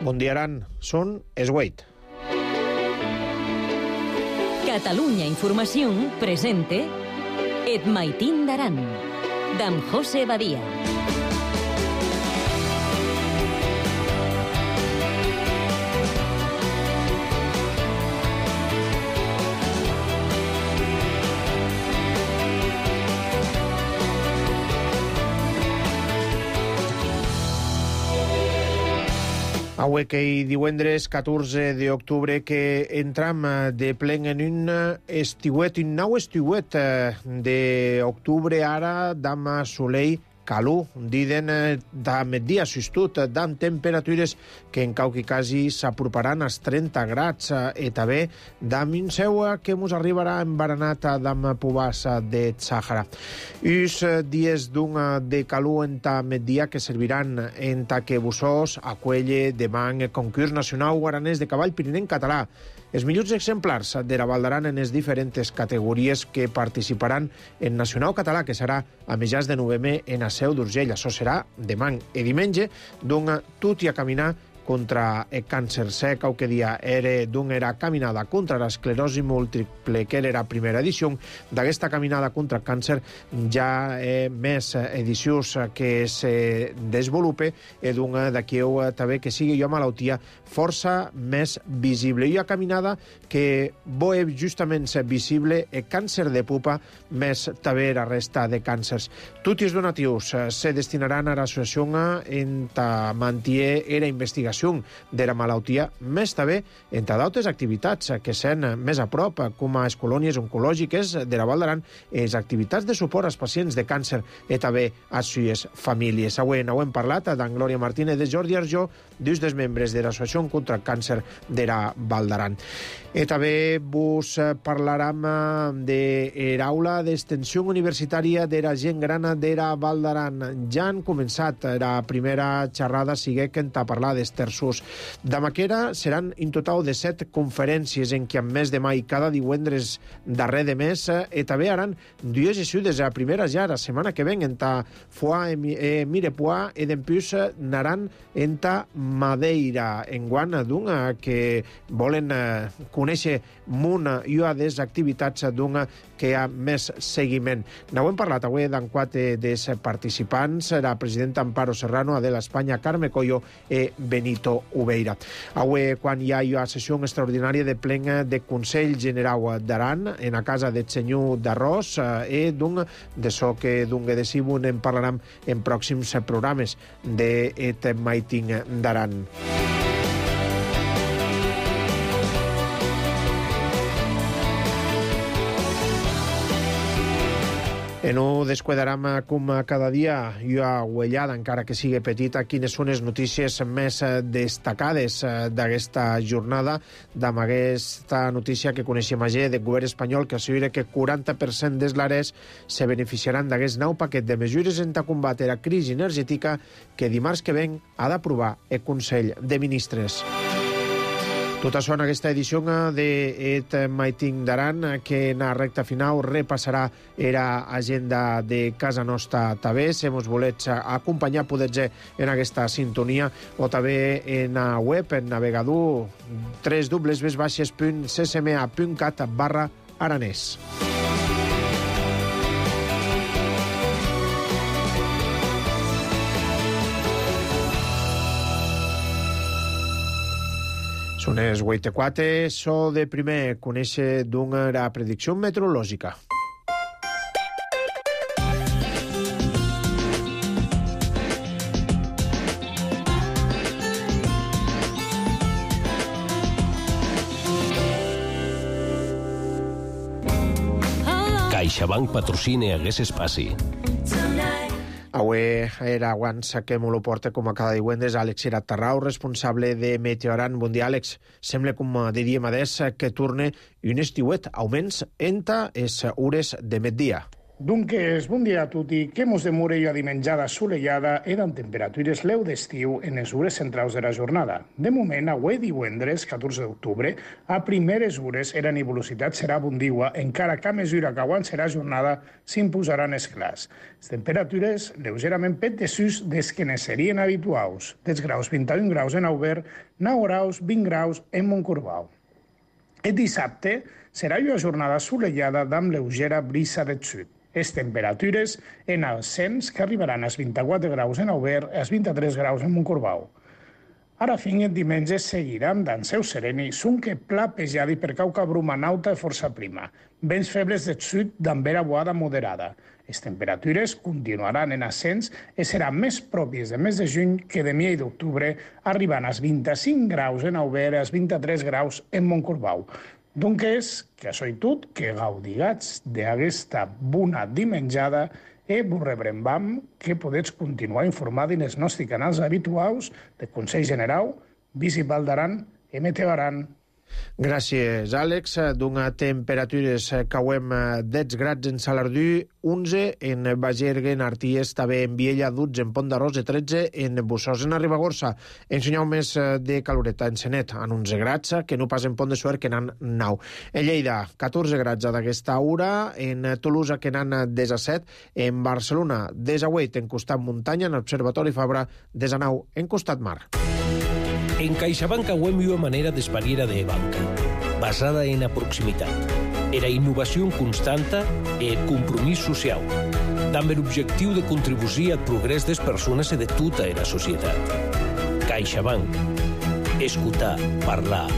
Bon dia, Aran. Són es 8. Catalunya Informació presente Et Maitín d'Aran, d'en José Badia. Avui que divendres 14 d'octubre que entram de plen en un nou estiuet d'octubre ara d'am solei calor, diden da migdia sustut, d'am temperatures que en qualque casi s'aproparan als 30 grads i també d'am un seu que mos arribarà embaranat d'am pobars de Sàhara. Us dies d'un de calor en ta migdia que serviran en ta que bussós aquelle demà concurs nacional guaranès de cavall pirinenc català. Els millors exemplars de la Val d'Aran en les diferents categories que participaran en Nacional Català, que serà a mitjans de novembre en la Seu d'Urgell. Això serà demà i diumenge, d'un tot i a caminar contra el càncer. Sé que aquest dia era caminada contra l'esclerosi múltiple, que era la primera edició. D'aquesta caminada contra el càncer ja més edicions que se desenvolupe i d'aquí també que sigui una malaltia força més visible. Una caminada que és justament visible el càncer de pupa més també la resta de càncers. Tots els donatius se destinaran a l'associació en mantenir la investigació de la malaltia, més també entre d'altres activitats que són més a prop, com a les colònies oncològiques de la Val d'Aran, les activitats de suport als pacients de càncer i també a les seves famílies. Avui n'hem parlat d'en Glòria Martínez, de Jordi Arjó, dos dels membres de l'Associació contra el Càncer de la Val d'Aran. I també vos parlarem de l'aula d'extensió universitària de la gent gran de la Val d'Aran. Ja han començat la primera xerrada, sigue que a parlar dels terços. D'Amaquera seran en total de 7 conferències en què, en mes de mai, cada divendres darrer de mes, i també haran dues sessions. La primera ja la setmana que ven en ta Foix e Mirepoix, i d'empús naran en ta Madeira, en guant d'una que volen conèixer una i una de les activitats d'una que hi ha més seguiment. N'hem parlat avui d'en 4 dels participants, la presidenta Amparo Serrano, Adela Espanya, Carme Collo i Benito Ubeira. Avui, quan hi ha una sessió extraordinària de plen de Consell General d'Aran, en la casa del senyor d'Arròs, i d'això que de Sibun en parlarem en pròxims programes de Et Maitín d'Aran. No descuidarem com cada dia i una ullada, encara que sigui petita, quines són les notícies més destacades d'aquesta jornada, amb aquesta notícia que coneixem ayer del govern espanyol, que assegura que 40% dels lares se beneficiaran d'aquest nou paquet de mesures en combatre la crisi energètica que dimarts que ven ha d'aprovar el Consell de Ministres. Tot això en aquesta edició d'Et Maitín d'Aran, que en la recta final repassarà l'agenda de casa nostra també. Si ens volets acompanyar, podeu en aquesta sintonia o també en la web, en navegador www.ccma.cat/aranès. Són les 8:04, so de primer conèixer la predicció meteorològica. CaixaBank patrocina Hagués Espaci. Avui era abans que me lo porta com a cada divendres Àlex Iratarrau, responsable de Meteoran. Bon dia, Àlex. Sembla, com diríem adés, que torne un estiuet, augments entre les hores de migdia. Dunques, bon dia a tutti. Que mos demore una dimenjada assolellada e amb temperatures leu d'estiu en les hores centrals de la jornada. De moment, avui divendres, 14 d'octubre, a primeres hores la nebulositat serà abundigua, encara que a mesura que avançarà la jornada s'imposaran els clars. Les temperatures lleugerament pet desús des que ne serien habituals. Dels graus 21 graus en Aubert, 9 graus, 20 graus en Montcorbau. El dissabte serà una jornada assolellada amb lleugera brisa del sud. Les temperatures en ascens que arribaran als 24 graus en Aubert i als 23 graus en Montcorbau. Ara fin el diumenge seguiran d'en seu sereni, que pla pejadi per cauca bruma nauta i força prima. Vents febles del sud d'en vera boada moderada. Les temperatures continuaran en ascens i seran més pròpies de mes de juny que de mi d'octubre, arribant als 25 graus en Aubert i als 23 graus en Montcorbau. Doncs que això i tot, que gaudigats d'aquesta bona dimenjada i vos rebrembam que podeu continuar informant en els nostres canals habituals de Consell General, Visit Val d'Aran i Meteo Aran. Gràcies, Àlex. D'una temperatures cauem 10 grads en Salardú, 11 en Bagergue, en Arties, també en Viella, 12 en Pont d'Arròs, 13 en Bussós, en Ribagorça. En Senyau més de caloreta, en Senet, en 11 grads, que no pas en Pont de Suert, que n'han 9. En Lleida, 14 grads d'aquesta hora, en Tolosa, que n'han 17, en Barcelona, 18 en costat muntanya, en l'Observatori Fabra, 19 en costat mar. En CaixaBank auem una manera d'espariera de banca, basada en la proximitat, era innovació constanta i el compromís social, amb l'objectiu de contribuir al progrés des persones i de tota la societat. CaixaBank. Escoltar, parlar,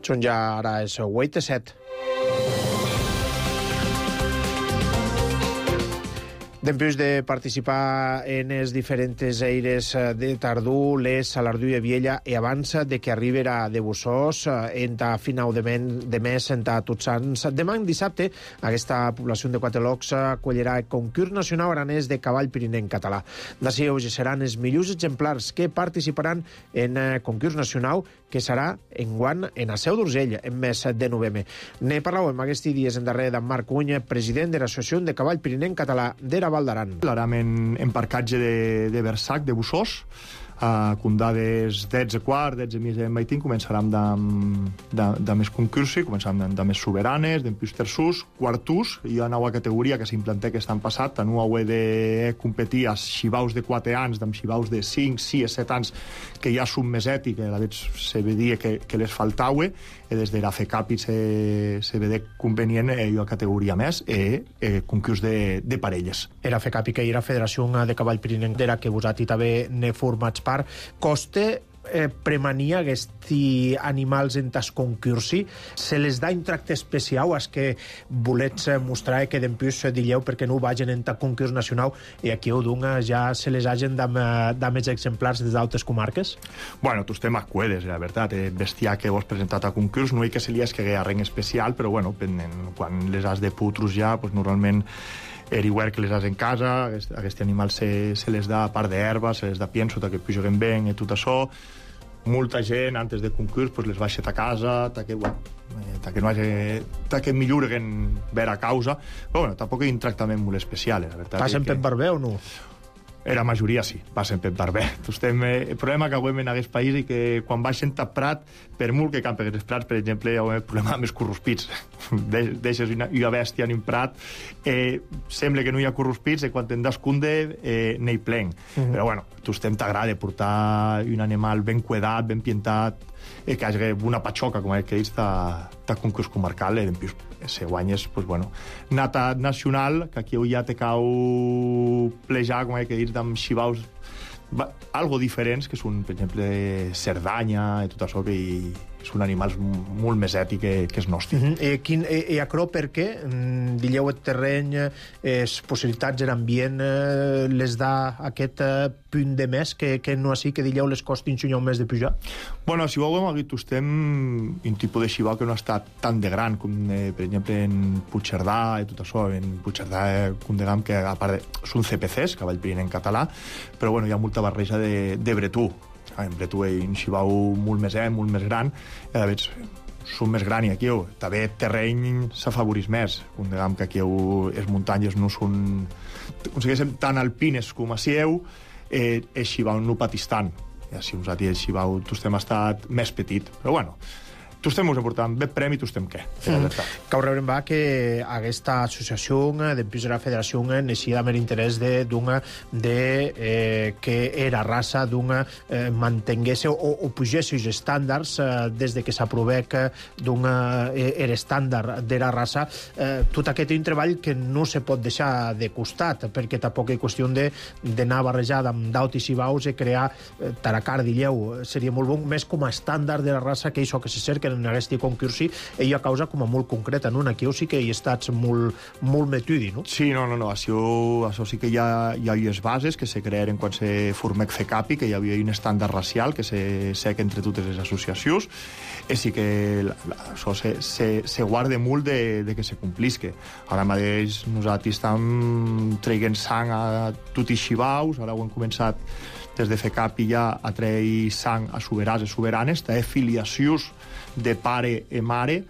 Són ja ara és 8:07. Després de participar en les diferents eires de Tardú, Les, Salardú i Viella, i abans de que arribera de Bussós, en final de mes, en Tots Sants. Demà, dissabte, aquesta població de Quatelocs acollirà el concurs nacional aranès de cavall pirinenc català. D'ací seran els millors exemplars que participaran en el concurs nacional, que serà enguant en la Seu d'Urgell, en mes de novembre. Ne parlàvem aquests dies en darrere d'en Marc Cuny, president de l'Associació de Cavall Pirinenc Català d'Era Val d'Aran. L'aram en parcatge de Versac, de Bussós, condades 10:15, 10:30 en Maitín, començarem de més concursi, començarem de més soberanes, d'empius terçús, quartús, i una nova categoria que s'implantà aquest any passat, no heu de competir als xivaus de 4 anys, amb xivaus de 5, 6, 7 anys, que ja són més ètic, a la vegada se vedia que les faltaue, i des de la FECAPI se vede convenient una categoria més, concurs de parelles. Era FECAPI, que era Federació de Cavall Pirinenc, d'era que vosaltres també ne formats part. Coste premania aquests animals en tas concursi, se les da un tracte especial als que volets mostrar que dempius dilleu perquè no vagin en tas concurs nacional i aquí ho dunga ja se les hagin de més exemplars des d'altres comarques? Bueno, tu estem acuedes, la veritat. El bestiar que vos presentat a concurs no hi que se li escague a res especial, però bueno, quan les has de putros ja, pues normalment igual que les has en casa, aquest animal se les da a part d'herba, se les da pienso, que pujoguen ben i tot això. Molta gent, antes de concurs, pues les baixet a casa, que no hagi, que millorguen ver a causa. Però bueno, tampoc hi ha un tractament molt especial, la veritat. Passen per barber o no? La majoria sí, passen per barber. El problema que avui en aquest país és que quan baixen a Prat, per molt que campen els prats, per exemple, hi ha un problema amb els corrospits. Deixes una bèstia en un prat, sembla que no hi ha corrospits, i quan te'n descunde n'hi plen. Però bueno, t'agrada portar un animal ben cuidat, ben pientat, que hagi una patxoca, com que ells, de concurs comarcal, se guanyes, pues bueno, nata nacional, que aquí ja te cau plejar, com que ells, amb xivaus algo diferents, que són, per exemple, Cerdanya i tot això, que són animals molt més ètics que els nostres. I acrò per què? Dilleu el terreny, les possibilitats de l'ambient les da aquest punt de més que no així que dilleu les costin un més de pujar? Bueno, si veurem aquí estem un tipus de xivau que no ha estat tan de gran com, per exemple, en Puigcerdà i tot això. En Puigcerdà, com diguem, que a part són CPCs, cavall pirinenc català, però bueno, hi ha molta barreja de bretú. en Bretué un xibau molt més gran, i a veure, són més gran i aquí també terreny s'afavorís més. Diguem que aquí les muntanyes no són tan alpines com a Sieu, el xibau no patís tant. I així nosaltres el xibau tostem estat més petit, però bueno, tostem us aportant bé premi, tostem què? Cau rebrem va que aquesta associació dempús de la federació neixia amb l'interès que era raça mantengués o pugés els estàndards des que s'aprovec era estàndard de la raça. Tot aquest és un treball que no se pot deixar de costat, perquè tampoc és qüestió d'anar barrejada amb daut i cibaus i crear taracar d'illeu. Seria molt bon, més com a estàndard de la raça, que això que se cerca en aquest concursi, ella causa com a molt concreta, no? Aquí sí que hi estats molt metudi, no? Sí, no, això sí que hi ha les bases que se crearen quan se formec FECAPI, que hi havia un estàndard racial que se sec entre totes les associacions, i sí que això se guarda molt de que se complisque. Ara mateix nosaltres estem traient sang a tots els xibaus, ara ho hem començat des de FECAPI ja a treure sang a soberans i soberanes, té filiacions de pare i mare,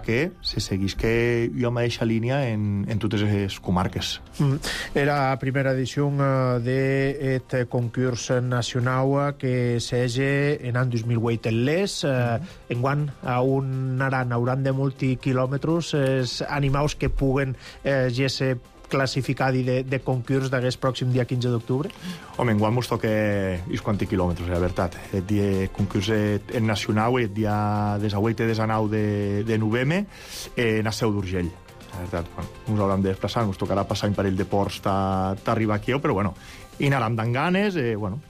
que se seguís que hi ha mateixa línia en totes les comarques. Era la primera edició d'aquest concurs nacional que s'hege en l'any 2008 en l'ES. Enguany, hauran de molts quilòmetres els animals que puguen ser classificat de concurs d'aquest pròxim dia 15 d'octubre? Home, enguany mos toca uns quants quilòmetres, la veritat. El dia concurs nacional, el dia 18 i 19 de novembre, en la Seu d'Urgell. La veritat, ens haurem de desplaçar, ens tocarà passar un parell de ports d'arribar aquí, però bueno, i anàrem d'en ganes, s'hauran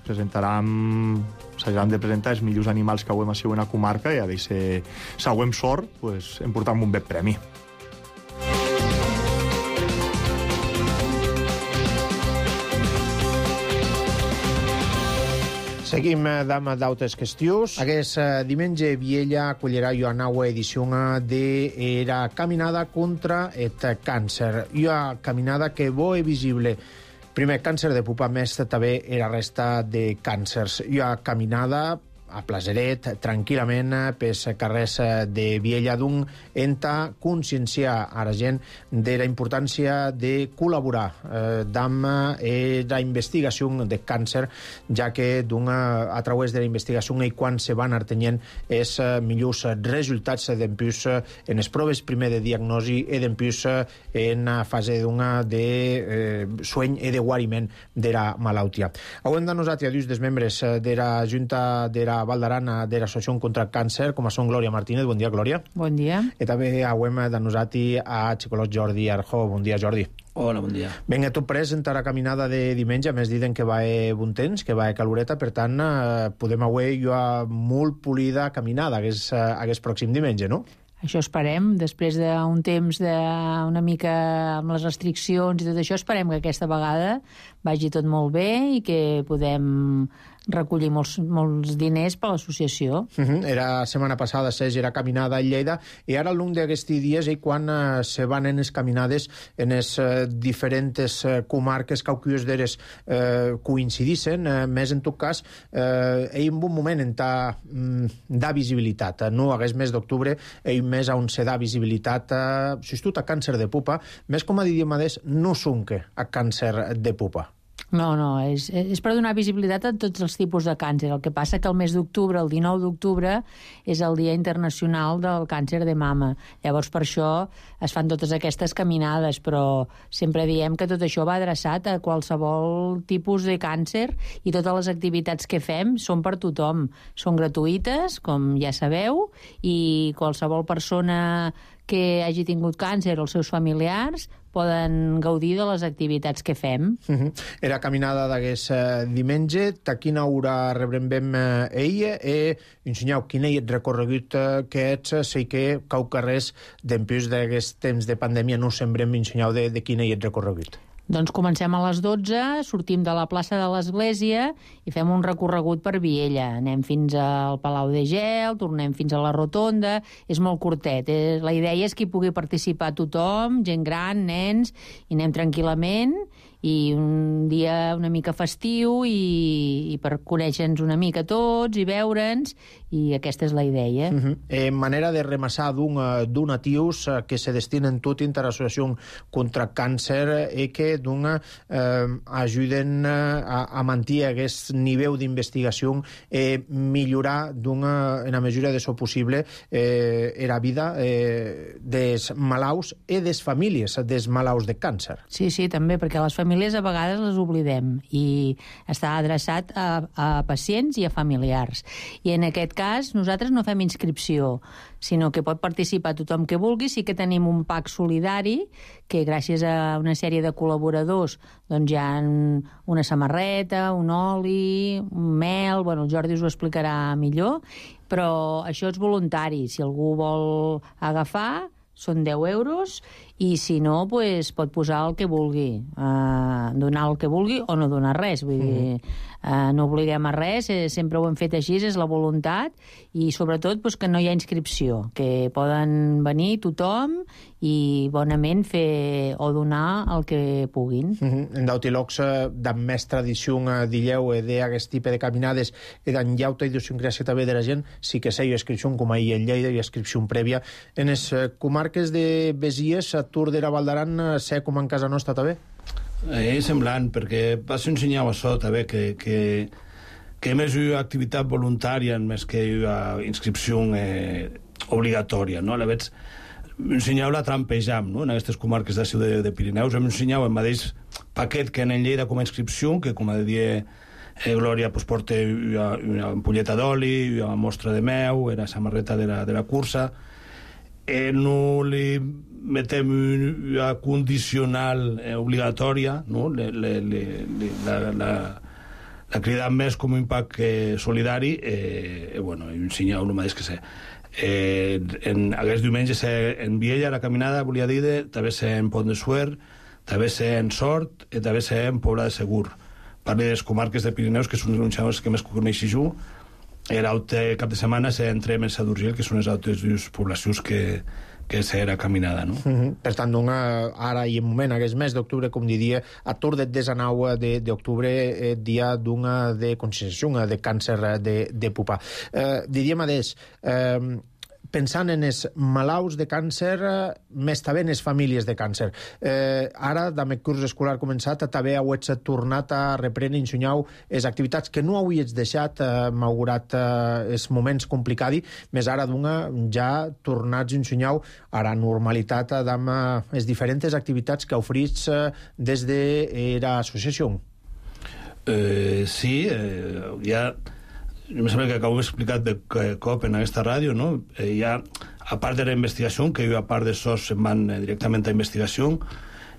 de presentar els millors animals que hauem a ser una comarca i a veure si hauem sort, em portam un bé premi. Seguim d'altres qüestions. Aquest diumenge Viella acollirà una nova edició de la caminada contra el càncer. Una caminada que és visible. Primer, càncer de pupa, més també la resta de càncers. Una caminada a Plaseret, tranquil·lament, pels carrers de Viella d'un enta conscienciar a la gent de la importància de col·laborar amb la investigació de càncer, ja que a través de la investigació i quan se van artenyent els millors resultats d'empús en les proves primer de diagnosi i d'empús en la fase de sueny i de guariment de la malaltia. Hauem de nosaltres, dius dels membres de la Junta de la Val d'Aran de l'Associació contra el Càncer, com a són Glòria Martínez. Bon dia, Glòria. Bon dia. I també hauem de nosaltres a psicolog Jordi Arjó. Bon dia, Jordi. Hola, bon dia. Vinga, tu presenta la caminada de diumenge, a més diuen que va bon temps, que va caloreta, per tant, podem avui una molt polida caminada aquest pròxim diumenge, no? Això esperem, després d'un temps una mica amb les restriccions i tot això, esperem que aquesta vegada vagi tot molt bé i que podem recollir molts diners per l'associació. Era setmana passada era caminada a Lleida i ara al long d'aquests dies quan se van en les caminades en les diferents comarques cauquius d'eres coincidissin, més en tot cas hi ha un bon moment en da visibilitat, no hagués mes d'octubre hi més on se da visibilitat sobretot a càncer de pupa, més com a diríem no sonque a càncer de pupa. No, és per donar visibilitat a tots els tipus de càncer. El que passa que el mes d'octubre, el 19 d'octubre, és el Dia Internacional del Càncer de Mama. Llavors, per això es fan totes aquestes caminades, però sempre diem que tot això va adreçat a qualsevol tipus de càncer i totes les activitats que fem són per tothom. Són gratuïtes, com ja sabeu, i qualsevol persona que hagi tingut càncer o els seus familiars poden gaudir de les activitats que fem. Era caminada d'aquest diumenge. A quina hora rebrem ella i ensenyeu quin és el recorregut que ets, sé que cau carrers d'empús d'aquest temps de pandèmia no sembrem ensenyeu de quin és el recorregut. Doncs comencem a les 12, sortim de la plaça de l'Església i fem un recorregut per Viella. Anem fins al Palau de Gel, tornem fins a la Rotonda, és molt curtet. La idea és que hi pugui participar tothom, gent gran, nens, i anem tranquil·lament i un dia una mica festiu i per conèixer-nos una mica tots i veure'ns, i aquesta és la idea. Manera de remassar donatius que se destinen tot a l'associació contra càncer i que ajuden a mantenir aquest nivell d'investigació i millorar en la mesura de so possible la vida dels malalts i des famílies dels malalts de càncer. Sí, també, perquè les famílies a vegades les oblidem i està adreçat a pacients i a familiars. I en aquest cas nosaltres no fem inscripció, sinó que pot participar tothom que vulgui. Sí que tenim un pack solidari que gràcies a una sèrie de col·laboradors doncs hi ha una samarreta, un oli, un mel, bueno, el Jordi us ho explicarà millor, però això és voluntari. Si algú vol agafar, són 10 euros, i si no, pues, pot posar el que vulgui, donar el que vulgui o no donar res, vull dir, no obliguem a res, sempre ho hem fet així, és la voluntat, i sobretot pues, que no hi ha inscripció, que poden venir tothom i bonament fer o donar el que puguin. En d'auti locs d'en més tradició d'illeu d'aquest tipus de caminades i d'en llauta idiosincràsia també de la gent, sí que sé inscripció com ahir en Lleida i inscripció prèvia. En les comarques de Besies, a Tour de la Val d'Aran, sé com en casa nostra també? És semblant, perquè vas ensenyar això també, que més hi ha activitat voluntària més que hi ha inscripció obligatòria, no? A la vegada ensenyeu la trampejam, no? En aquestes comarques de Pirineus hem ensenyat el mateix paquet que en Lleida com a inscripció, que com a dia Glòria pues, porta una ampolleta d'oli, una mostra de meu, la samarreta de la cursa. No li metem una condicional obligatòria, no? La cridam més com un impact solidari, bueno, ensenyeu el mateix que sé. Aquests diumenges en Viella, la caminada, volia dir, també sé en Pont de Suert, també sé en Sort i també sé en Pobla de Segur. Parle de les comarques de Pirineus, que són uns xavals que més coneixis jo. L'altre cap de setmana entrem en Sadurgell, que són les altres dues poblacions que serà caminada, no? Per tant, ara i en moment, aquest mes d'octubre, com diria, a Tour de 19 d'octubre, dia d'una de conscienciació de càncer de pupa. Diríem, adés, pensant en els malalts de càncer, més també en les famílies de càncer. Ara, amb el curs escolar començat, també heu tornat a reprendre, ensenyau, les activitats que no hauries deixat, malgrat els moments complicats, més ara ja tornats a ensenyau a la normalitat amb les diferents activitats que oferits des de l'associació. Sí, ja... Em sembla que acabo d'explicar de cop en aquesta ràdio, no? Hi ha, a part de la investigació, que a part de SOS se'n van directament a investigació,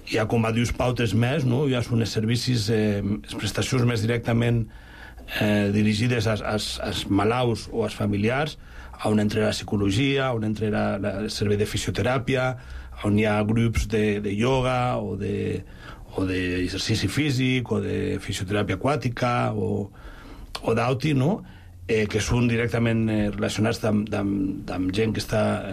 hi ha com a dius pautes més, no? Hi ha uns servicis, les prestacions més directament dirigides als malalts o als familiars, on entra la psicologia, on entra el servei de fisioteràpia, on hi ha grups de ioga o d'exercici físic o de fisioteràpia aquàtica o d'auti, no? Que són directament relacionats amb gent que està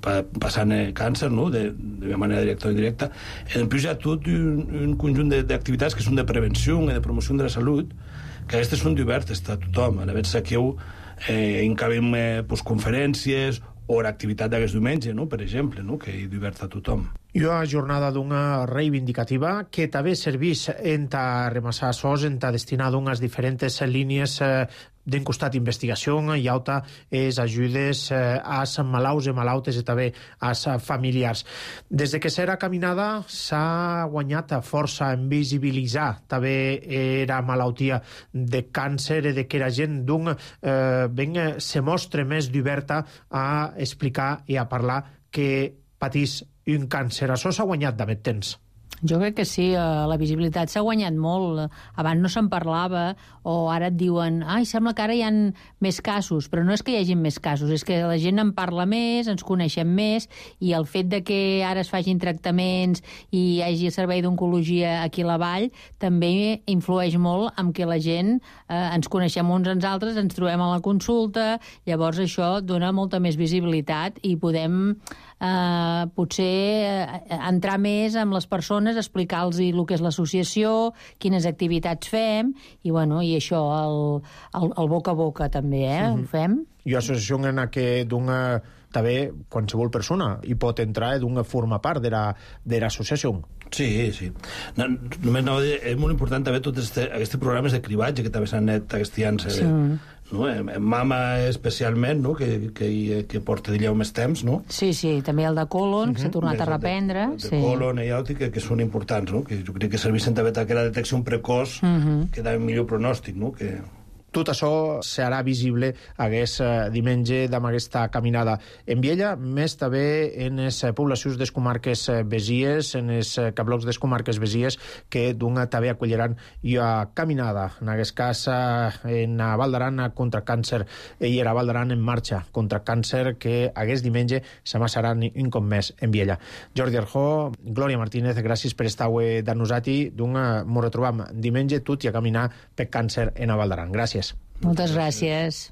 passant càncer, no? De manera directa o indirecta. En plus hi ha tot un conjunt d'activitats que són de prevenció i de promoció de la salut, que aquestes són obertes a tothom. A la vegada aquí encabem conferències o l'activitat d'aquest diumenge, no? Per exemple, no? Que és oberta a tothom. I una jornada d'una reivindicativa que també serveix en remassar SOS, en destinar d'unes diferents línies d'un costat investigació i altra és ajudes als malalts i malautes i també als familiars. Des de que serà caminada s'ha guanyat força en visibilitzar també la malaltia de càncer i de que la gent se mostra més d'oberta a explicar i a parlar que patís un càncer. Això s'ha guanyat d'haver temps. Jo crec que sí, la visibilitat s'ha guanyat molt. Abans no se'n parlava, o ara et diuen sembla que ara hi ha més casos, però no és que hi hagi més casos, és que la gent en parla més, ens coneixem més, i el fet de que ara es facin tractaments i hi hagi servei d'oncologia aquí a la vall també influeix molt en que la gent ens coneixem uns als altres, ens trobem a la consulta, llavors això dona molta més visibilitat i podem potser entrar més amb les persones, explicar-los el que és l'associació, quines activitats fem, i això, el boca a boca també, ho fem. I l'associació en què d'una també qualsevol persona hi pot entrar i formar part de l'associació. Sí. Només anava a dir, és molt important també tots aquests programes de cribatge que també s'han anat aquests anys, en Mama especialment, que porta d'allà més temps, no? Sí, també el de Colon, que s'ha tornat a reprendre. De Colon i Àutic, que són importants, no? Que jo crec que serveixen també aquella detecció precoç que da millor pronòstic, no? Tot això serà visible aquest diumenge amb aquesta caminada en Viella, més també en les poblacions de les comarques besies, en els cablocs de les comarques besies, que també acolliran la caminada. En aquest cas, en Val d'Aran contra càncer, i era Val d'Aran en marxa contra càncer, que aquest diumenge s'amassarà un cop més en Viella. Jordi Arjó, Glòria Martínez, gràcies per estar avui de nosaltres. Ens retrobam diumenge tot i a caminar per càncer en Val d'Aran. Gràcies. Moltes gràcies.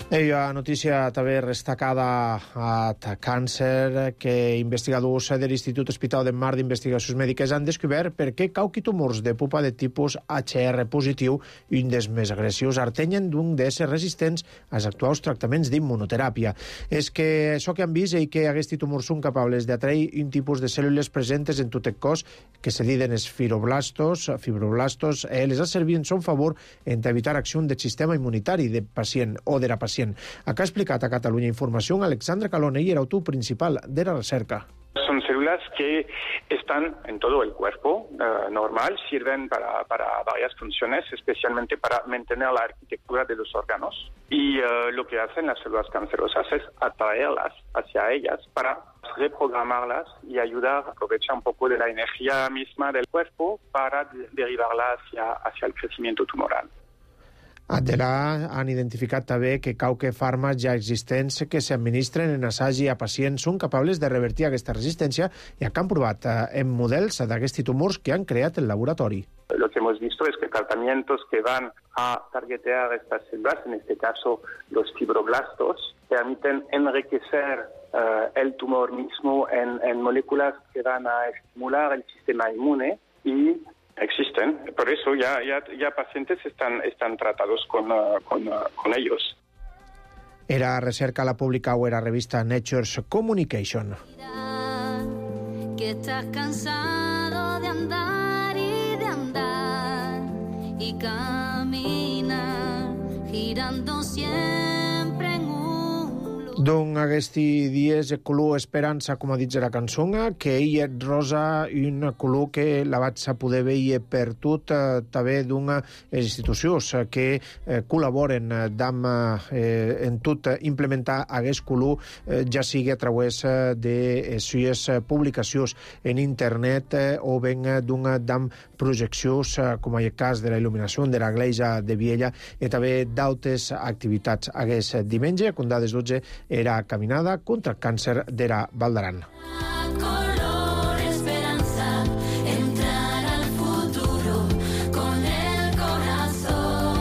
La notícia també destacada a càncer, que investigadors de l'Institut Hospital de Mar d'Investigacions Mèdiques han descobert per què cauqui tumors de pupa de tipus HR positiu, un dels més agressius, artenyen d'un d'ésser resistents als actuals tractaments d'immunoteràpia. És que això que han vist és que aquests tumors són capables d'atrair un tipus de cèl·lules presentes en tot el cos que se diuen els fibroblastos. Les ha servit en son favor en evitar acció del sistema immunitari del pacient o de la pacient. Acá ha explicat a Catalunya Información Alexandra Calone, y el autor principal de la recerca. Son células que están en todo el cuerpo normal, sirven para varias funciones, especialmente para mantener la arquitectura de los órganos. Y lo que hacen las células cancerosas es atraerlas hacia ellas para reprogramarlas y ayudar a aprovechar un poco de la energía misma del cuerpo para derivarla hacia el crecimiento tumoral. Adela han identificat també que qualque fàrmacs ja existents que s'administren en assagi a pacients són capables de revertir aquesta resistència i que han provat en models d'aquests tumors que han creat el laboratori. Lo que hemos visto es que tratamientos que van a targetear estas células, en este caso los fibroblastos, permiten enriquecer el tumor mismo en moléculas que van a estimular el sistema inmune y existen. Por eso ya pacientes están tratados con ellos. Era recerca la publicada la revista Nature's Communication. Que estás cansado de andar y caminar girando siempre en un Doncs aquests dies el color esperança, com ha dit la cançó, que ell és rosa, un color que la vaig poder veure per tot, també d'una institucions que col·laboren en tot implementar aquest color, ja sigui a través de sues publicacions en internet o ben d'una projeccions, com en el cas de la il·luminació de la Gleja de Viella, i també d'altres activitats. Aquest diumenge, com dades 12, era caminada contra el càncer de la Val d'Aran. color esperanza, entrar al futuro con el corazón.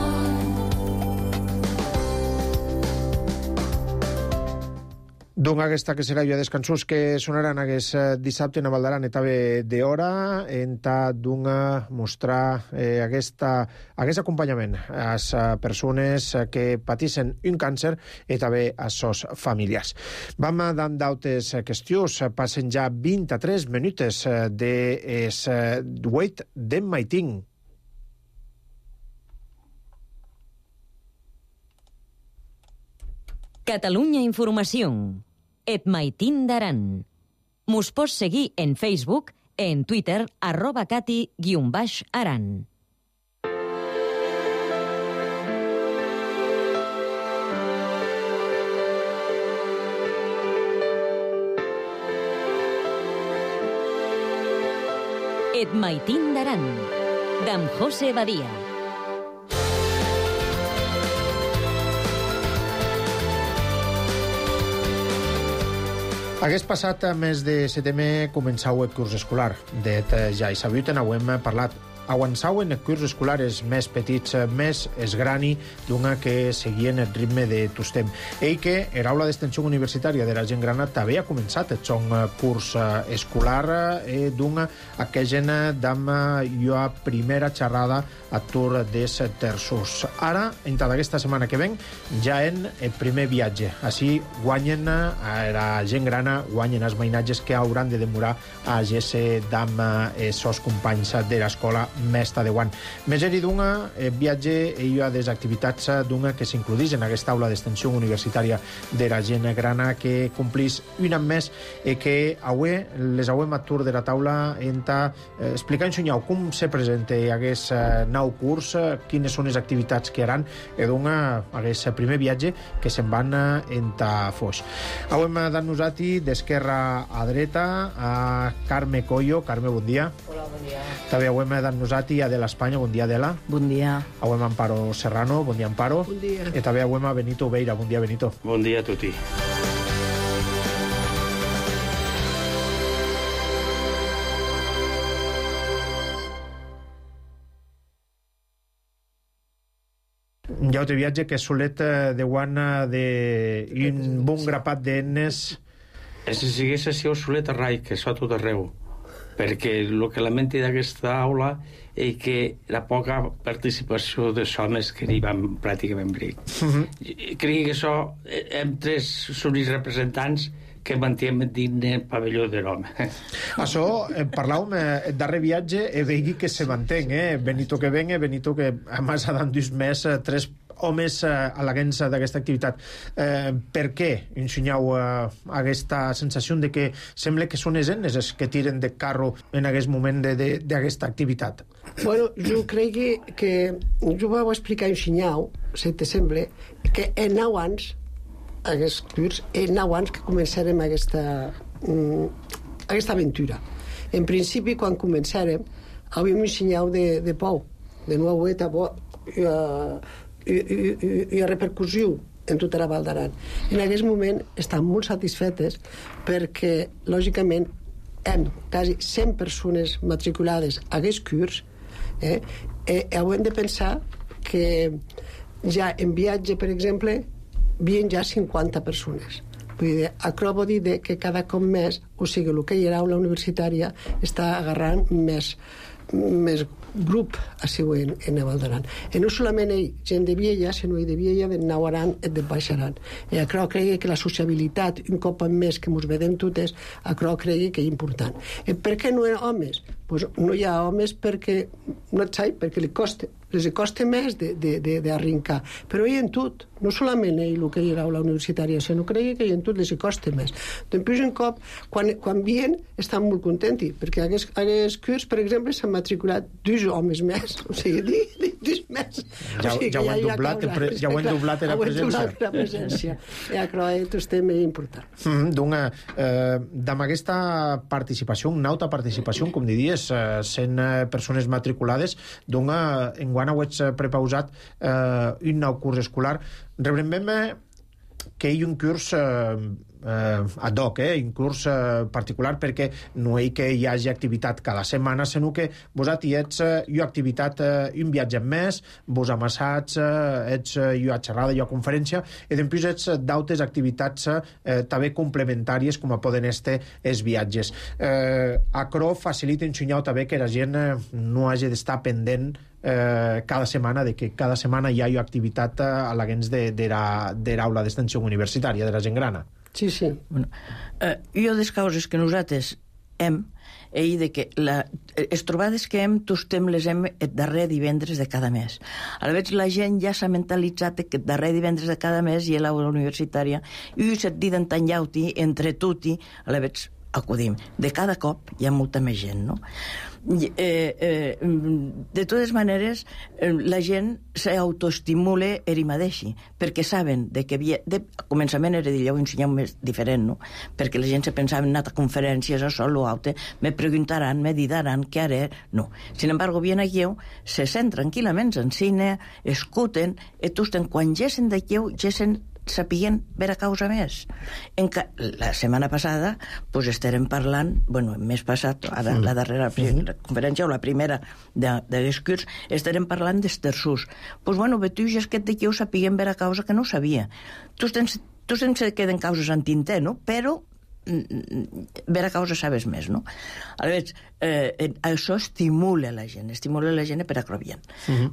Doncs aquesta que serà de cançons que sonaran aquest dissabte a Val d'Aran i també d'hora en mostrar aquest acompanyament a les persones que pateixen un càncer i també a les seves famílies. Vam d'altres qüestions. Passen ja 23 minuts de les 8 d'en Maitín. Catalunya Informació. Et Maitín d'Aran. Mos pots seguir en Facebook, en Twitter, @cati_aran. Et Maitín d'Aran, d'en José Badia. Aquest passat mes de setembre començau el curs escolar. Ja hi sabut, n'hem parlat avançau en curs escolares més petits, més esgrani, d'una que seguien el ritme de tostem. Ell que era aula d'extensió universitària de la gent grana també ha començat el son curs escolar d'una aquella dama jo a primera xerrada a Tour des terços. Ara, entrada aquesta setmana que ven, ja en el primer viatge. Així guanyen la gent grana, guanyen els mainatges que hauran de demorar a GS d'am sos companys de l'escola Mesta de Guant. Més eri d'una viatge i a des activitats d'una que s'includís en aquesta aula d'extensió universitària de la gent grana que complís un any més i que avui les auem a Tour de la taula enta explicar en Sunyau com se presenta aquest nou curs, quines són les activitats que haran i d'una aquest primer viatge que se'n van enta Foix. Avui hem dat nosaltres d'esquerra a dreta a Carme Coyo. Carme, bon dia. Hola, bon dia. També avui hem dat nosaltres a Adela Espanya. Bon dia, Adela. Bon dia. Avui hem Amparo Serrano. Bon dia, Amparo. Bon dia. I també avui hem Benito Obeira. Bon dia, Benito. Bon dia a tutti. Hi ha un viatge que solet de guana d'un bon grapat d'enes. Si sigués així, solet a rai, que això a tot arreu. Perquè el que lamenti d'aquesta aula és que la poca participació dels homes que hi van pràcticament bric. Crec que això, hem tres són els representants que mantiem dins el pavelló de l'home. Això, parlàvem el darrer viatge i vegi que se mantén, Benito que venga, Benito que a més ha d'endús més tres homes a la guença d'aquesta activitat. Per què ensenyeu aquesta sensació de que sembla que són les enes els que tiren de carro en aquest moment d'aquesta activitat? Bueno, jo crec que jo vau explicar ensenyau, si te sembla, que en 9 anys aquest curs, en 9 anys que començarem aquesta aventura. En principi, quan començarem, havíem ensenyat de pou, de noueta, i a repercussió en tota la Val d'Aran. En aquest moment estan molt satisfetes perquè, lògicament, hem quasi 100 persones matriculades a aquest curs i hem de pensar que ja en viatge, per exemple, havien ja 50 persones. Vull dir, això vol dir que cada cop més, o sigui, el que hi ha a la universitària està agarrant més grup així en Val d'Aran. I no solament gent de Viella, sinó de Viella, de Nou Aran i de Baix Aran. I això crec que la sociabilitat, un cop més que ens vedem totes, això crec que és important. I per què no hi ha homes? Pues no hi ha homes perquè no et sai, perquè les costa més d'arrencar. Però hi ha en tot, no solament el que hi ha a la universitària, sinó que crec que hi ha en tot les costa més. Després, un cop, quan vien, estan molt contents, perquè a aquest curs, per exemple, s'han matriculat 2 homes més, o sigui, 2 més. Ja ho han doblat la presència. I això és també important. Doncs, amb aquesta participació, una alta participació, com diries, 100 persones matriculades, doncs, enguany ho ets prepausat un nou curs escolar. Rebrem que hi ha un curs ad hoc, un curs particular, perquè no hi que hi hagi activitat cada setmana, sinó que vosaltres ets una activitat, un viatge més, vos amassats, ets una xerrada, una conferència, i després ets d'altres activitats també complementàries, com poden estar els viatges. Això facilita ensenyar també que la gent no hagi d'estar pendent cada setmana, de que cada setmana hi ha una activitat a la gens de l'aula d'extensió universitària de la gent grana. Sí, sí. Bueno, jo des causes que nosaltres hem de que les trobades que hem tostem les hem el darrer divendres de cada mes. A la vegada la gent ja s'ha mentalitzat que el darrer divendres de cada mes hi ha l'aula universitària i set dit entanyau-ti, entre tutti, a la vegada acudim. De cada cop hi ha molta més gent, no? De totes maneres, la gent s'autoestimula ell mateix, perquè saben que a començament era d'allò ensenyar més diferent, no? Perquè la gent se pensava en anar a conferències, a sol o altre, me preguntaran, me diran què haré, no. Sin embargo, vienen aquí, se sent tranquil·lament en cine, escuten, i quan gessen d'aquí, gessen sapien vera causa més. La setmana passada pues, estarem parlant, bueno, el mes passat, ara la darrera conferència, o la primera d'aquests curs, estarem parlant dels terços. Pues, bueno, betuix és que d'aquí ho sapien vera causa que no ho sabia. Tu sense queden causes en tinter, no? Però vera causa sabes més, no? Aleshores, això estimula la gent per a crobiant.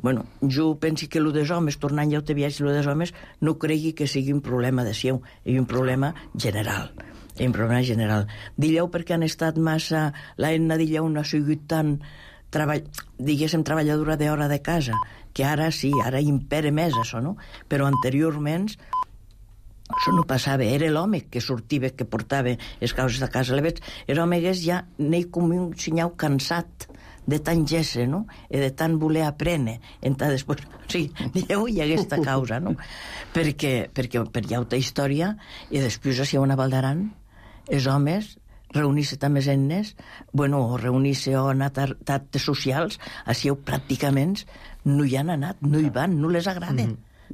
Bueno, jo penso que el dels homes, tornant ja a viatge, el dels homes, no cregui que sigui un problema de seu, és un problema general. Dilleu perquè han estat massa... La Edna Dilleu no ha sigut tan, diguéssim, treballadora d'hora de casa, que ara sí, ara impera més això, no? Però anteriorment això no passava, era l'home que sortia, que portava les causes de casa. L'home ja n'hi com un senyal cansat de tant gesse, no? I de tant voler aprendre. Després, sí, hi ha aquesta causa, no? Perquè hi ha altra història, i després, si hi ha una Valdaran, els homes reunir-se també ennes, bueno, o reunir-se o anar a actes socials, així pràcticament no hi han anat, no hi van, no les agrada.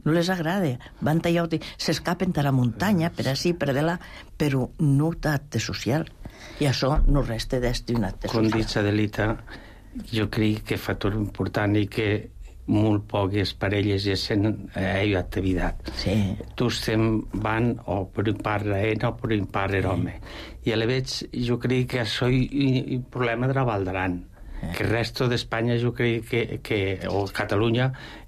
No les agrada. Van tallar, s'escapen a la muntanya, per així, per allà, però no d'acte social. I això no resta d'un acte social. Com dic, Adelita, jo crec que factor important i que molt poques parelles hacen activitat. Sí. Tots van o per un part l'Ena o per un part l'home. I a la vegada jo crec que això és un problema de la Valdaran. Que el resto d'Espanya jo crec que o Catalunya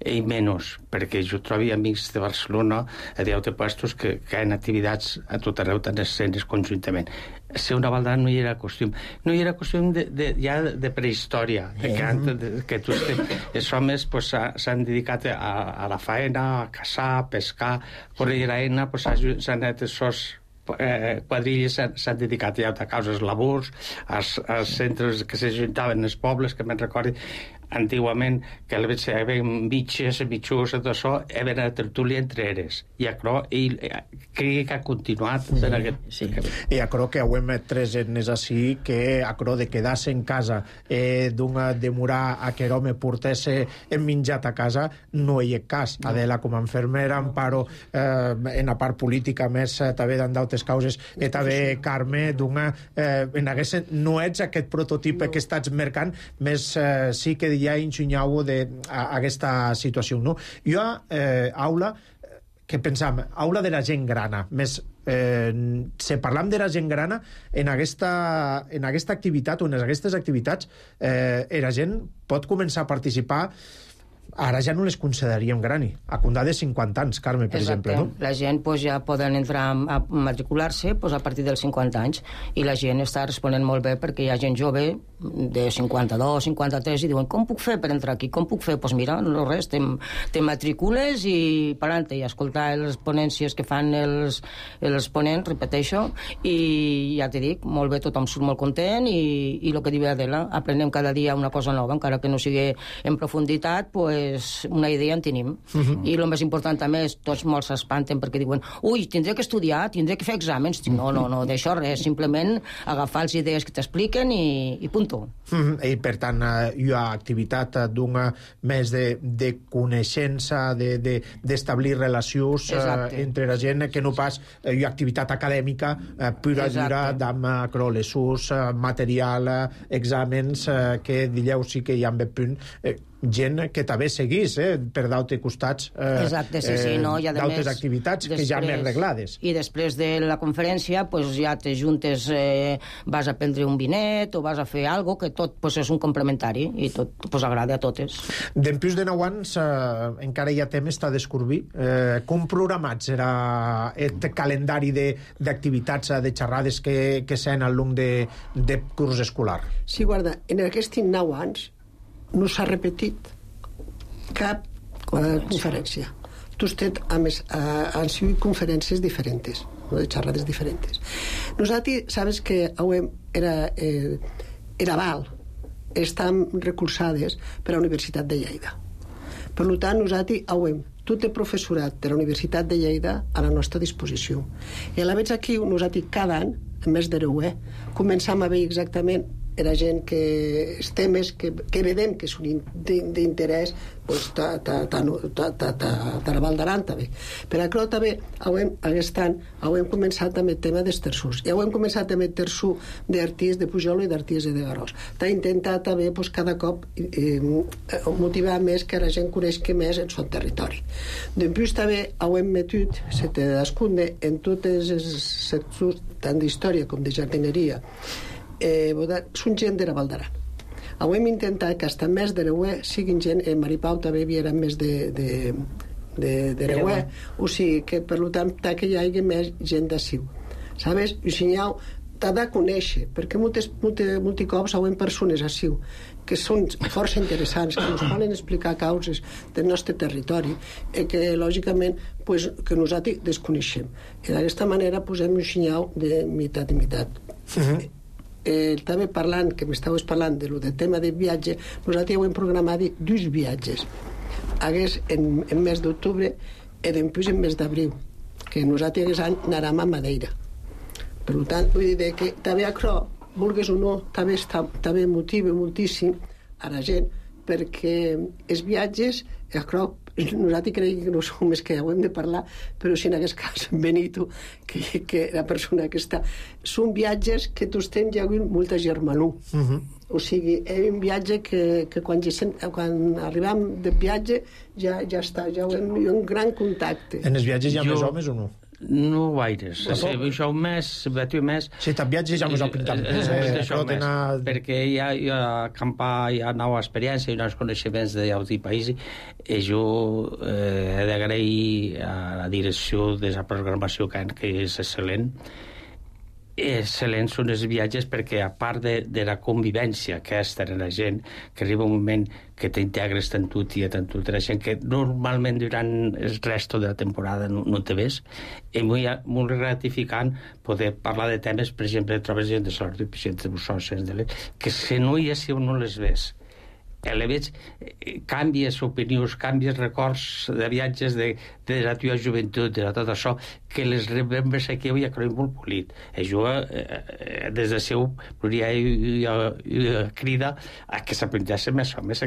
i menys, perquè jo trobo amics de Barcelona a d'altres puestos que han activitats a tot arreu, tant escenes conjuntament. Ser una Valdaran no hi era costum. No hi era costum ja de prehistòria, que els homes s'han dedicat a la faena, a caçar, a pescar, correr a l'Ena, s'han anat els quadrilles s'han dedicat a causes labors, als centres que s'ajuntaven els pobles, que me'n recordo antigament que hi havia mitges, mitjos, tot això, hi havia una tertúlia entre eres. I crec que ha continuat en aquest... Sí. I crec que ho hem tres etnes així, que de quedar-se en casa, d'un demorar a que l'home portés en menjat a casa, no hi ha cas. Adela, com a infermera, Amparo, en la part política més, també d'altres causes, i també Carme, no ets aquest prototip que estàs mercant, més sí que ja ensenyau d'aquesta situació, no? Jo, aula, que pensam, aula de la gent grana, més si parlam de la gent grana, en aquesta activitat o en aquestes activitats, la gent pot començar a participar. Ara ja no les consideraríem grani. A condar de 50 anys, Carme, per exemple, no? La gent ja poden entrar a matricular-se a partir dels 50 anys, i la gent està responent molt bé, perquè hi ha gent jove de 52, 53, i diuen, com puc fer per entrar aquí? Com puc fer? Doncs mira, no res, te matricules i per altre, i escoltar les ponències que fan els ponents, repeteixo, i ja t'he dit, molt bé, tothom surt molt content, i el que diu Adela, aprenem cada dia una cosa nova, encara que no sigui en profunditat, una idea en tenim. I el més important també és, tots molt s'espanten perquè diuen, ui, tindré que estudiar, tindré que fer exàmens. No, d'això res, simplement agafar les idees que t'expliquen i punto. I per tant hi ha activitat d'una més de coneixença, d'establir relacions entre la gent, que no pas hi ha activitat acadèmica pura dura d'amb lessurs, material, exàmens, que dilleu sí que hi ha punt gent que també seguís per d'altres costats d'altres activitats que ja més reglades. I després de la conferència ja te juntes, vas a prendre un vinet o vas a fer alguna cosa que tot és un complementari i tot agrada a totes. Dempuix de 9 anys encara hi ha temps a descobrir. Com programats era el calendari d'activitats, de xerrades que s'han al long de curs escolar? Sí, guarda, en aquests 9 anys no s'ha repetit cap conferència. Han sigut conferències diferents, de xerrades diferents. Nosaltres, sabes que era Val, estan recolzades per la Universitat de Lleida. Per tant, nosaltres tot el professorat de la Universitat de Lleida a la nostra disposició. I a la vegada aquí, nosaltres cada any, en mes de començam a veure exactament era gent que els temes que vedem que són d'interès pues, de la Val d'Aran també. Per això també aquest any hem començat també el tema dels terços. Ja hem començat també el terçó d'Arties de Pujol i d'Arties de Garòs. T'ha intentat també pues, cada cop motivar més que la gent coneixi més el seu territori. Després també hem metut en totes els sectors tant d'història com de jardineria són gent de la Val d'Aran. Hem intentat que hasta més de l'Eué siguin gent, Maripau també era més de l'Eué, o sigui que per tant que hi hagi més gent d'aciu. Sabes? I si t'ha de conèixer, perquè molts cops hi persones aciu que són força interessants, que ens poden explicar causes del nostre territori i que lògicament que nosaltres desconeixem. I d'aquesta manera posem un senyal de meitat i meitat. També parlant, que m'estaves parlant del tema de viatge, nosaltres ja hem programat 2 viatges. Hagués en mes d'octubre i després en mes d'abril, que nosaltres aquest any anàrem a Madeira. Per tant, vull dir que també això, vulguis o no, també motiva moltíssim a la gent, perquè els viatges, nosaltres creiem que no som més que ho hem de parlar, però si en aquest cas Benito, que la persona que està, són viatges que tots tens ja molta germanor. O sigui, és un viatge que quan arribem de viatge ja està, ja ho hem un gran contacte. En els viatges hi ha més homes o no? No gaires. Això més, sí, tant viatges ja més ho pintat més. Perquè hi ha acampar, hi ha nova experiència i nous coneixements d'altres països, i jo he d'agrair a la direcció de la programació que és excel·lent. Excel·lents són els viatges perquè a part de la convivència aquesta en la gent, que arriba un moment que t'integres tant tu i tant tu la gent que normalment durant el resto de la temporada no te ves, és molt gratificant poder parlar de temes, per exemple, trobes gent de sort de Bussons, que si no hi és no les ves. Le veig, canvies opinions, canvies records de viatges de la teva joventut, de tot això, que les remembres aquí avui a creu molt polit. Jo, des de seu, crida a que s'aprendeixen més homes,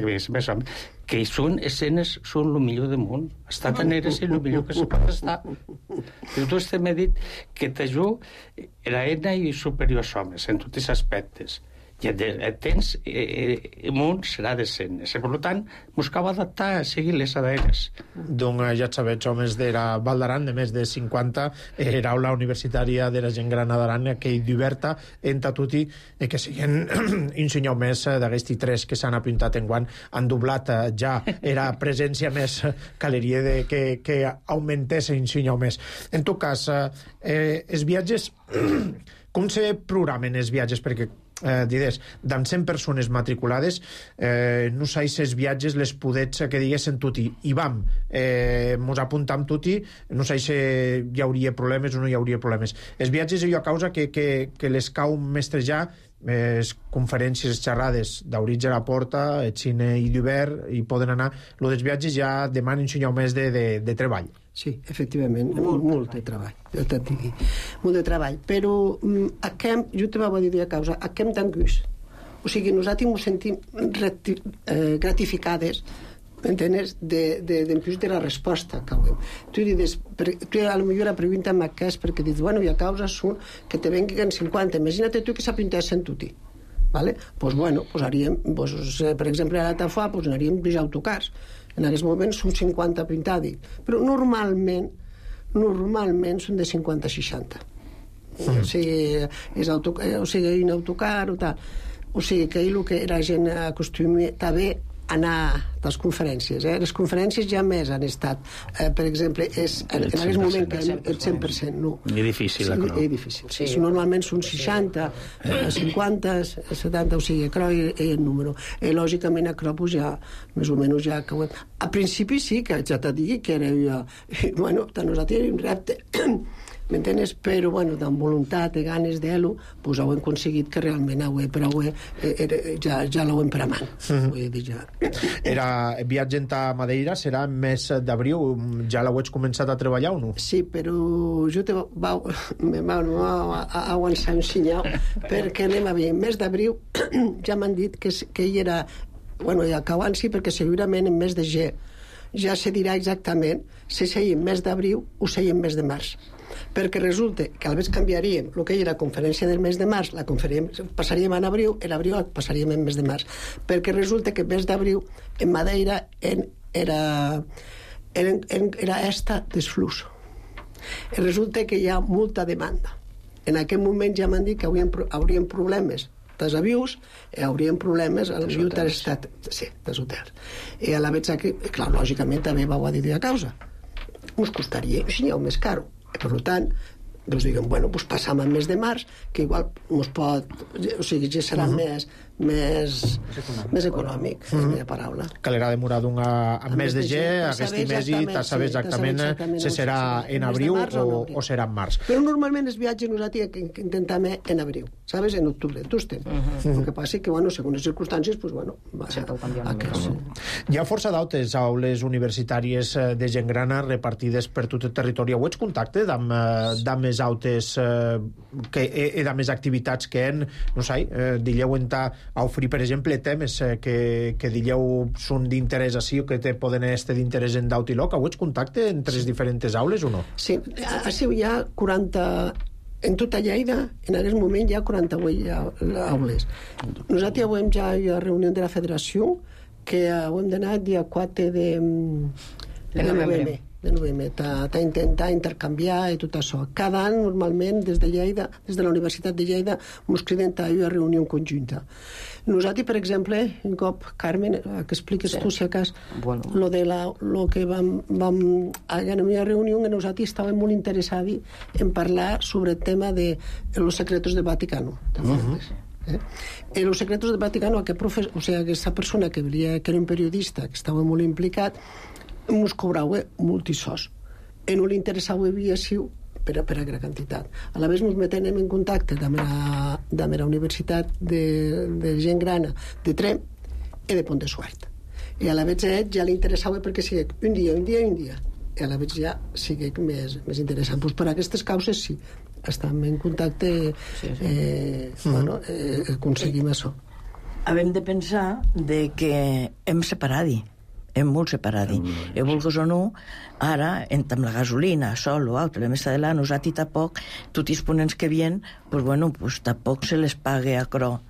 que són escenes, són el millor del món. Estar tan eres el millor que se pot estar. Però tu m'he dit que t'ajudo era eina i superior als homes, en tots els aspectes. I el temps el món serà decent. Per tant, buscava adaptar a seguir les ADNs. Doncs ja sabeu, homes de la Val d'Aran, de més de 50, l'aula universitària de la gent gran d'Aran, que hi diverta entre tutti, que siguen un senyor més d'aquests 3 que s'han apuntat en guant, han doblat ja era presència més caleria que augmentés un senyor més. En tot cas, els viatges, com se programen els viatges? Perquè digues, d'en 100 persones matriculades, no sé si els viatges les podets que diguessin tutti, i vam, mos apuntam tutti, no sé si hi hauria problemes o no hi hauria problemes. Els viatges hi ha causa que les cau mestrejar conferències, xerrades d'Auritge a la Porta, el cine i d'hivern, i poden anar. Lo dels viatges ja demanen un senyor més de treball. Sí, efectivament, molt de treball, molt de treball, però jo te vaig dir a causa, aquest d'anguix, o sigui, nosaltres ens sentim gratificades, m'entens, de la resposta que hem. Tu a lo millor la pregunta m'acés perquè dius, bueno, hi ha causes són que te venguen 50, imagina't tu que s'apuntassin tutti. Doncs bueno, haríem, per exemple, a l'Altafuà anaríem 20 autocars. En aquests moments són 50 pintades, però normalment són de 50 a 60. O sigui, un autocar o tal. O sigui, que el que la gent acostuma també anar a les conferències. Les conferències ja més han estat, per exemple, en aquest moment que el 100%, no. És difícil, és difícil. Sí. Normalment són 60, 50, 70, o sigui, això és el número. Lògicament, això ja, més o menys, ja que ho hem... A principi sí, que ja t'ha dit que era... Bueno, nosaltres era un repte. m'entenes? Però, bueno, amb voluntat i ganes d'ell-ho, doncs ho hem aconseguit que realment ja l'ho hem per a man. Vull dir, ja. Era viatgent a Madeira, serà mes d'abril, ja l'heu començat a treballar o no? Sí, però jo me va avançar un senyal, perquè anem a veure, mes d'abril ja m'han dit que ell era, bueno, ja que abans sí, perquè segurament en mes de G ja se dirà exactament si seia en mes d'abril o seia en mes de març, perquè resulta que al vegades canviaríem el que era la conferència del mes de març, passaríem en abril, en abril passaríem en mes de març, perquè resulta que el mes d'abril en Madeira era esta desflux. Resulta que hi ha molta demanda. En aquest moment ja m'han dit que haurien problemes dels avions, haurien problemes als dels hotels. I a la vegada que, clar, lògicament també vau a dir a causa. Us costaria, si n'hi ha més caro. Per tant, doncs diguem, bueno, doncs passam al mes de març, que igual ens pot... O sigui, ja serà més econòmic, és la paraula. Calerà demorar al mes de G, aquest mes i saber exactament si serà en abril o serà en març. Però normalment els viatges nosaltres intentem en abril, sabes? En octubre, tu estem. El que passa que, bueno, segons les circumstàncies, doncs, bueno... Hi ha força d'altres aules universitàries de gent grana repartides per tot el territori. Heu contacte amb més autes i de més activitats que no sé, dilleu a oferir, per exemple, temes que dilleu són d'interès així o que poden estar d'interès en d'aut i loc. Heu contacte entre les diferents aules o no? Sí, així hi ha 40... En tota Lleida, en aquest moment, hi ha 48 aules. Nosaltres avui ja hi ha reunió de la federació que hem d'anar el dia 4 de novembre. D'intentar intercanviar i tot això. Cada any, normalment, des de Lleida, des de la Universitat de Lleida, ens criden a una reunió conjunta. Nosaltres, per exemple, un cop, Carmen, que expliques tu, si acas, lo que vam en una reunió, nosaltres estàvem molt interessats en parlar sobre el tema de los secretos del Vaticano. En los secretos del Vaticano, aquesta persona que era un periodista, que estava molt implicat, ens cobrava multisós. No li interessava viació per a gran quantitat. A la vegada ens metem en contacte amb la Universitat de gent grana de Trem i de Pont de Suert. I a la vegada ja li interessava perquè sigui un dia. I a la vegada ja sigui més interessant. Pues per aquestes causes sí, estem en contacte, aconseguim això. Hem de pensar que hem separat hem molt separat. I vulguis o no, ara, amb la gasolina, sol o altre, més adelant, nosaltres tampoc, tots els ponents que vien, pues tampoc se les pague a cro.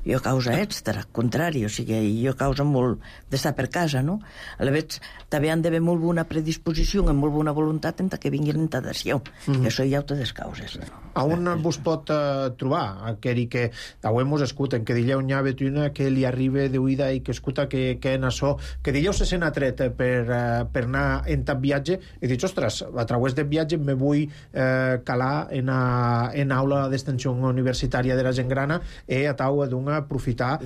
Jo causa extra, al contrari, o sigui, jo causa molt d'estar per casa, no? A la vegada, també han d'haver molt bona predisposició, amb molt bona voluntat en que vinguin en tadació. I això hi ha totes les causes. A on vos pot trobar aquell que hem escut, en que dilleu n'hi ha una que li arriba d'oïda i que escuta que en això, que dilleu se sent atret per anar en tant viatge i dius, ostres, a través del viatge me vull calar en aula d'extensió universitària de la gent grana i a tau aprofitar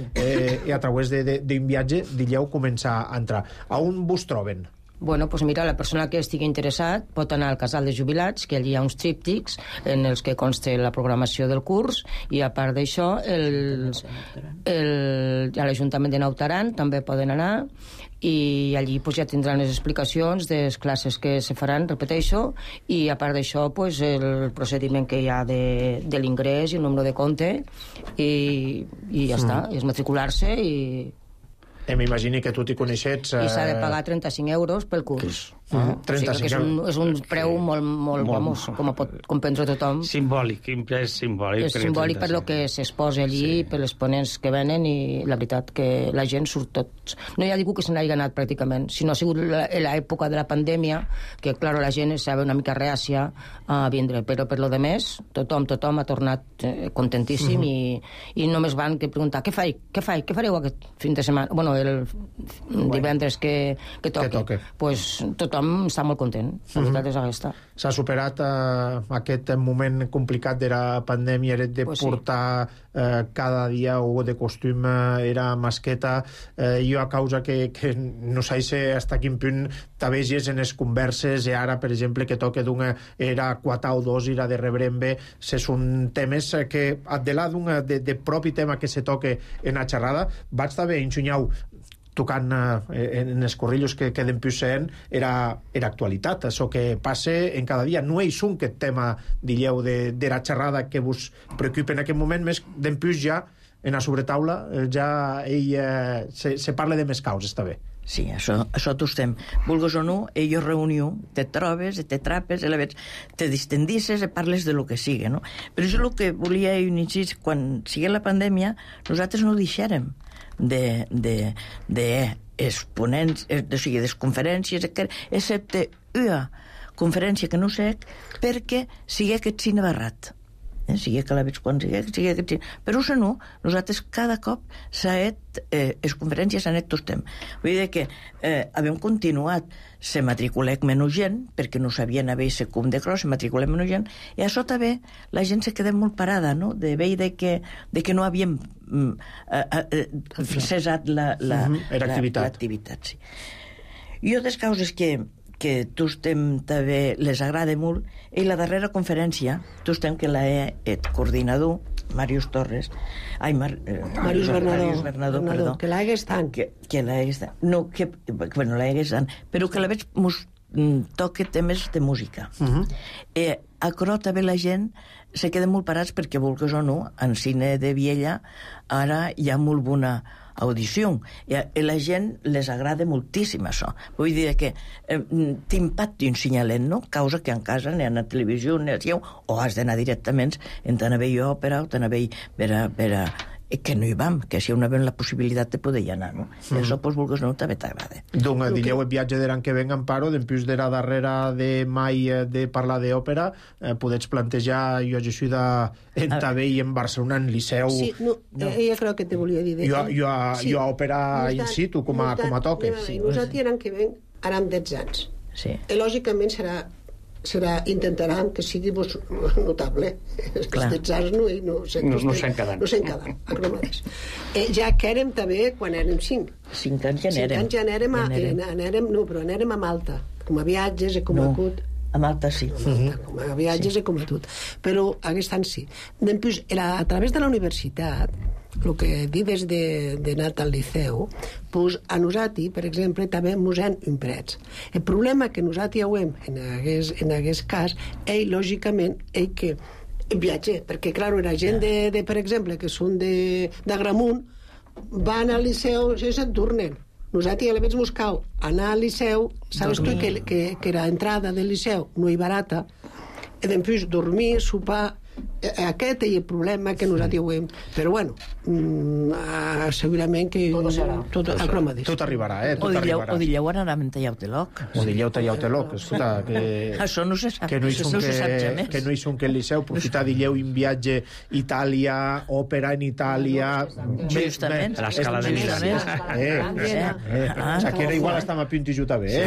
i a través d'un viatge dilleu començar a entrar. A on vos troben? Bueno, doncs mira, la persona que estigui interessat pot anar al casal de jubilats, que allí hi ha uns tríptics en els que consta la programació del curs, i a part d'això a l'Ajuntament de Naut Aran també poden anar, i allí pues, ja tindran les explicacions de les classes que se faran, repeteixo, i a part d'això pues, el procediment que hi ha de l'ingrés i el número de compte, i ja està, és matricular-se i... M'imagini que tu t'hi coneixets... I s'ha de pagar 35 euros pel curs. 35 euros. És un preu molt vamos, com pot comprendre tothom. Simbòlic, és simbòlic. És simbòlic per lo que s'exposa allí, per les ponents que venen, i la veritat que la gent surt tots. No hi ha ningú que se n'hagi anat pràcticament. Si no ha sigut l'època de la pandèmia, que, clar, la gent estava una mica reàcia a vindre, però per lo de més, tothom ha tornat contentíssim i només van preguntar què fareu aquest fin de setmana? Bueno, el divendres que toqui. Pues tothom tothom està molt content, la veritat és aquesta. S'ha superat aquest moment complicat de la pandèmia, de portar cada dia o de costum era masqueta. Jo a causa que no sé hasta quin punt t'aveges en les converses i ara, per exemple, que toca d'una era 4 o 2 era de rebrembe, se són temes que de là de propi tema que se toque en la xerrada, vaig també enxunyau tocant en els corrillos que queden puixent era actualitat, això que passa en cada dia. No és un aquest tema, digueu, de la xerrada que vos preocupa en aquest moment, més d'en puix ja en la sobretaula ja se parla de més causes, està bé. Sí, això t'ho estem. Vulgues o no, ells reunió, te trobes, te trapes, te distendisses i parles de lo que sigui, no? Però és el que volia insistir, quan sigui la pandèmia, nosaltres no deixarem exponents, o sigui, des conferències, excepte una conferència que no sé, perquè sigui aquest cine barrat. Sigui que la veig quan sigui aquest cine. Però no, nosaltres cada cop les conferències s'han tot temps. Vull dir que havem continuat, se matriculec menys gent, perquè no sabien haver aquest cum de cros, se matriculec menys gent, i a sota bé la gent se queda molt parada, no?, de veure que no havíem cessat l'activitat. Sí. Jo des causes que tu estem també les agrada molt, i la darrera conferència tu estem que el coordinador Màrius Torres Màrius Bernadó que l'hagués tant però que la veig toca temes de música a Cro també la gent se queda molt parats perquè vulgues o no en cine de Viella ara hi ha molt bona audició i la gent les agrada moltíssim això, vull dir que t'impacti un signalet, no? Causa que en casa ni a la televisió o has d'anar directament en tant a veure òpera o tant a veure que no hi vam, que si hi havia la possibilitat de poder hi anar, no? Això, doncs, vulgues no, també t'agrada. Donc, digueu el viatge de l'any que ven, Amparo, després de la darrera de mai de parlar d'òpera, podets plantejar, jo ajuda en també i en Barcelona, en Liceu... Sí, ella crec que te volia dir... Jo a òpera in situ, com a toque. Nosaltres l'any que ven anem 10 anys. I lògicament intentaran que sigui notable. Els anys no s'han quedat. Ja que érem també quan érem 5. 5 anys ja n'érem. Però anèrem a Malta, com a viatges i com a cut. A Malta sí. Com a viatges i com a tot. Però aquest any sí. Després, a través de la universitat, el que dius d'anar al liceu, doncs a nosaltres, per exemple, també ens han imprès. El problema que nosaltres hem en aquest cas és, lògicament, que viatge, perquè, clar, la gent, per exemple, que són d'Agramunt, van al liceu i se'n tornen. Nosaltres ja l'hem buscat anar al liceu, sabes tu que l'entrada del liceu no és barata, i després dormir, sopar. Aquest és el problema que nosaltres hem. Però bueno, segurament que tot arribarà, o dilleu anàvem tallau-te-loc. O dilleu tallau-te-loc, escolta, això no se sap, que no hi són que el Liceu aprofitar dilleu un viatge a Itàlia, òpera en Itàlia, justament l'escala de Milà, que era igual estem a punt i juta bé,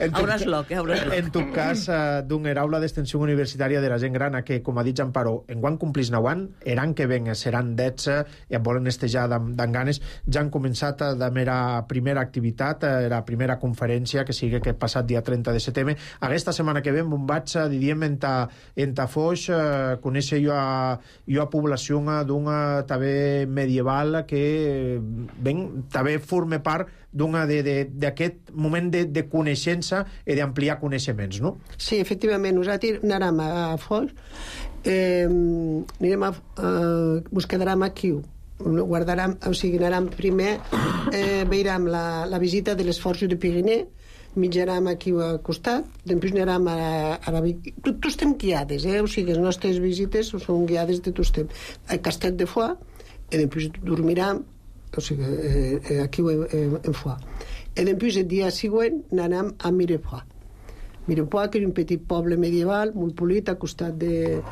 hauràs loc. En tot cas, d'un aula d'extensió universitària de la gent gran que, com ha dit Amparo, enguany complís 9 anys, l'any que ven seran 10 i em volen estejar d'en ganes. Ja han començat la mera primera activitat, la primera conferència, que sigui aquest passat dia 30 de setembre. Aquesta setmana que ven, vaig, diríem, en Foix, conèixer jo a població d'una també medieval que també forma part d'aquest moment de coneixença i d'ampliar coneixements, no? Sí, efectivament, nosaltres anàrem a Foix, ens quedarem aquí, guardarem, o sigui, anàrem primer, veurem la visita de les Forges de Pirineu, mitjarem aquí al costat, després anirem a la... Tots estem guiades, o sigui, les nostres visites són guiades de tots temps. Al Castell de Foix, i després dormirem, o sigui, aquí en Foix. I després, el dia següent, anem a Mirepoix. Mirepoix, que és un petit poble medieval, molt polit, a costat de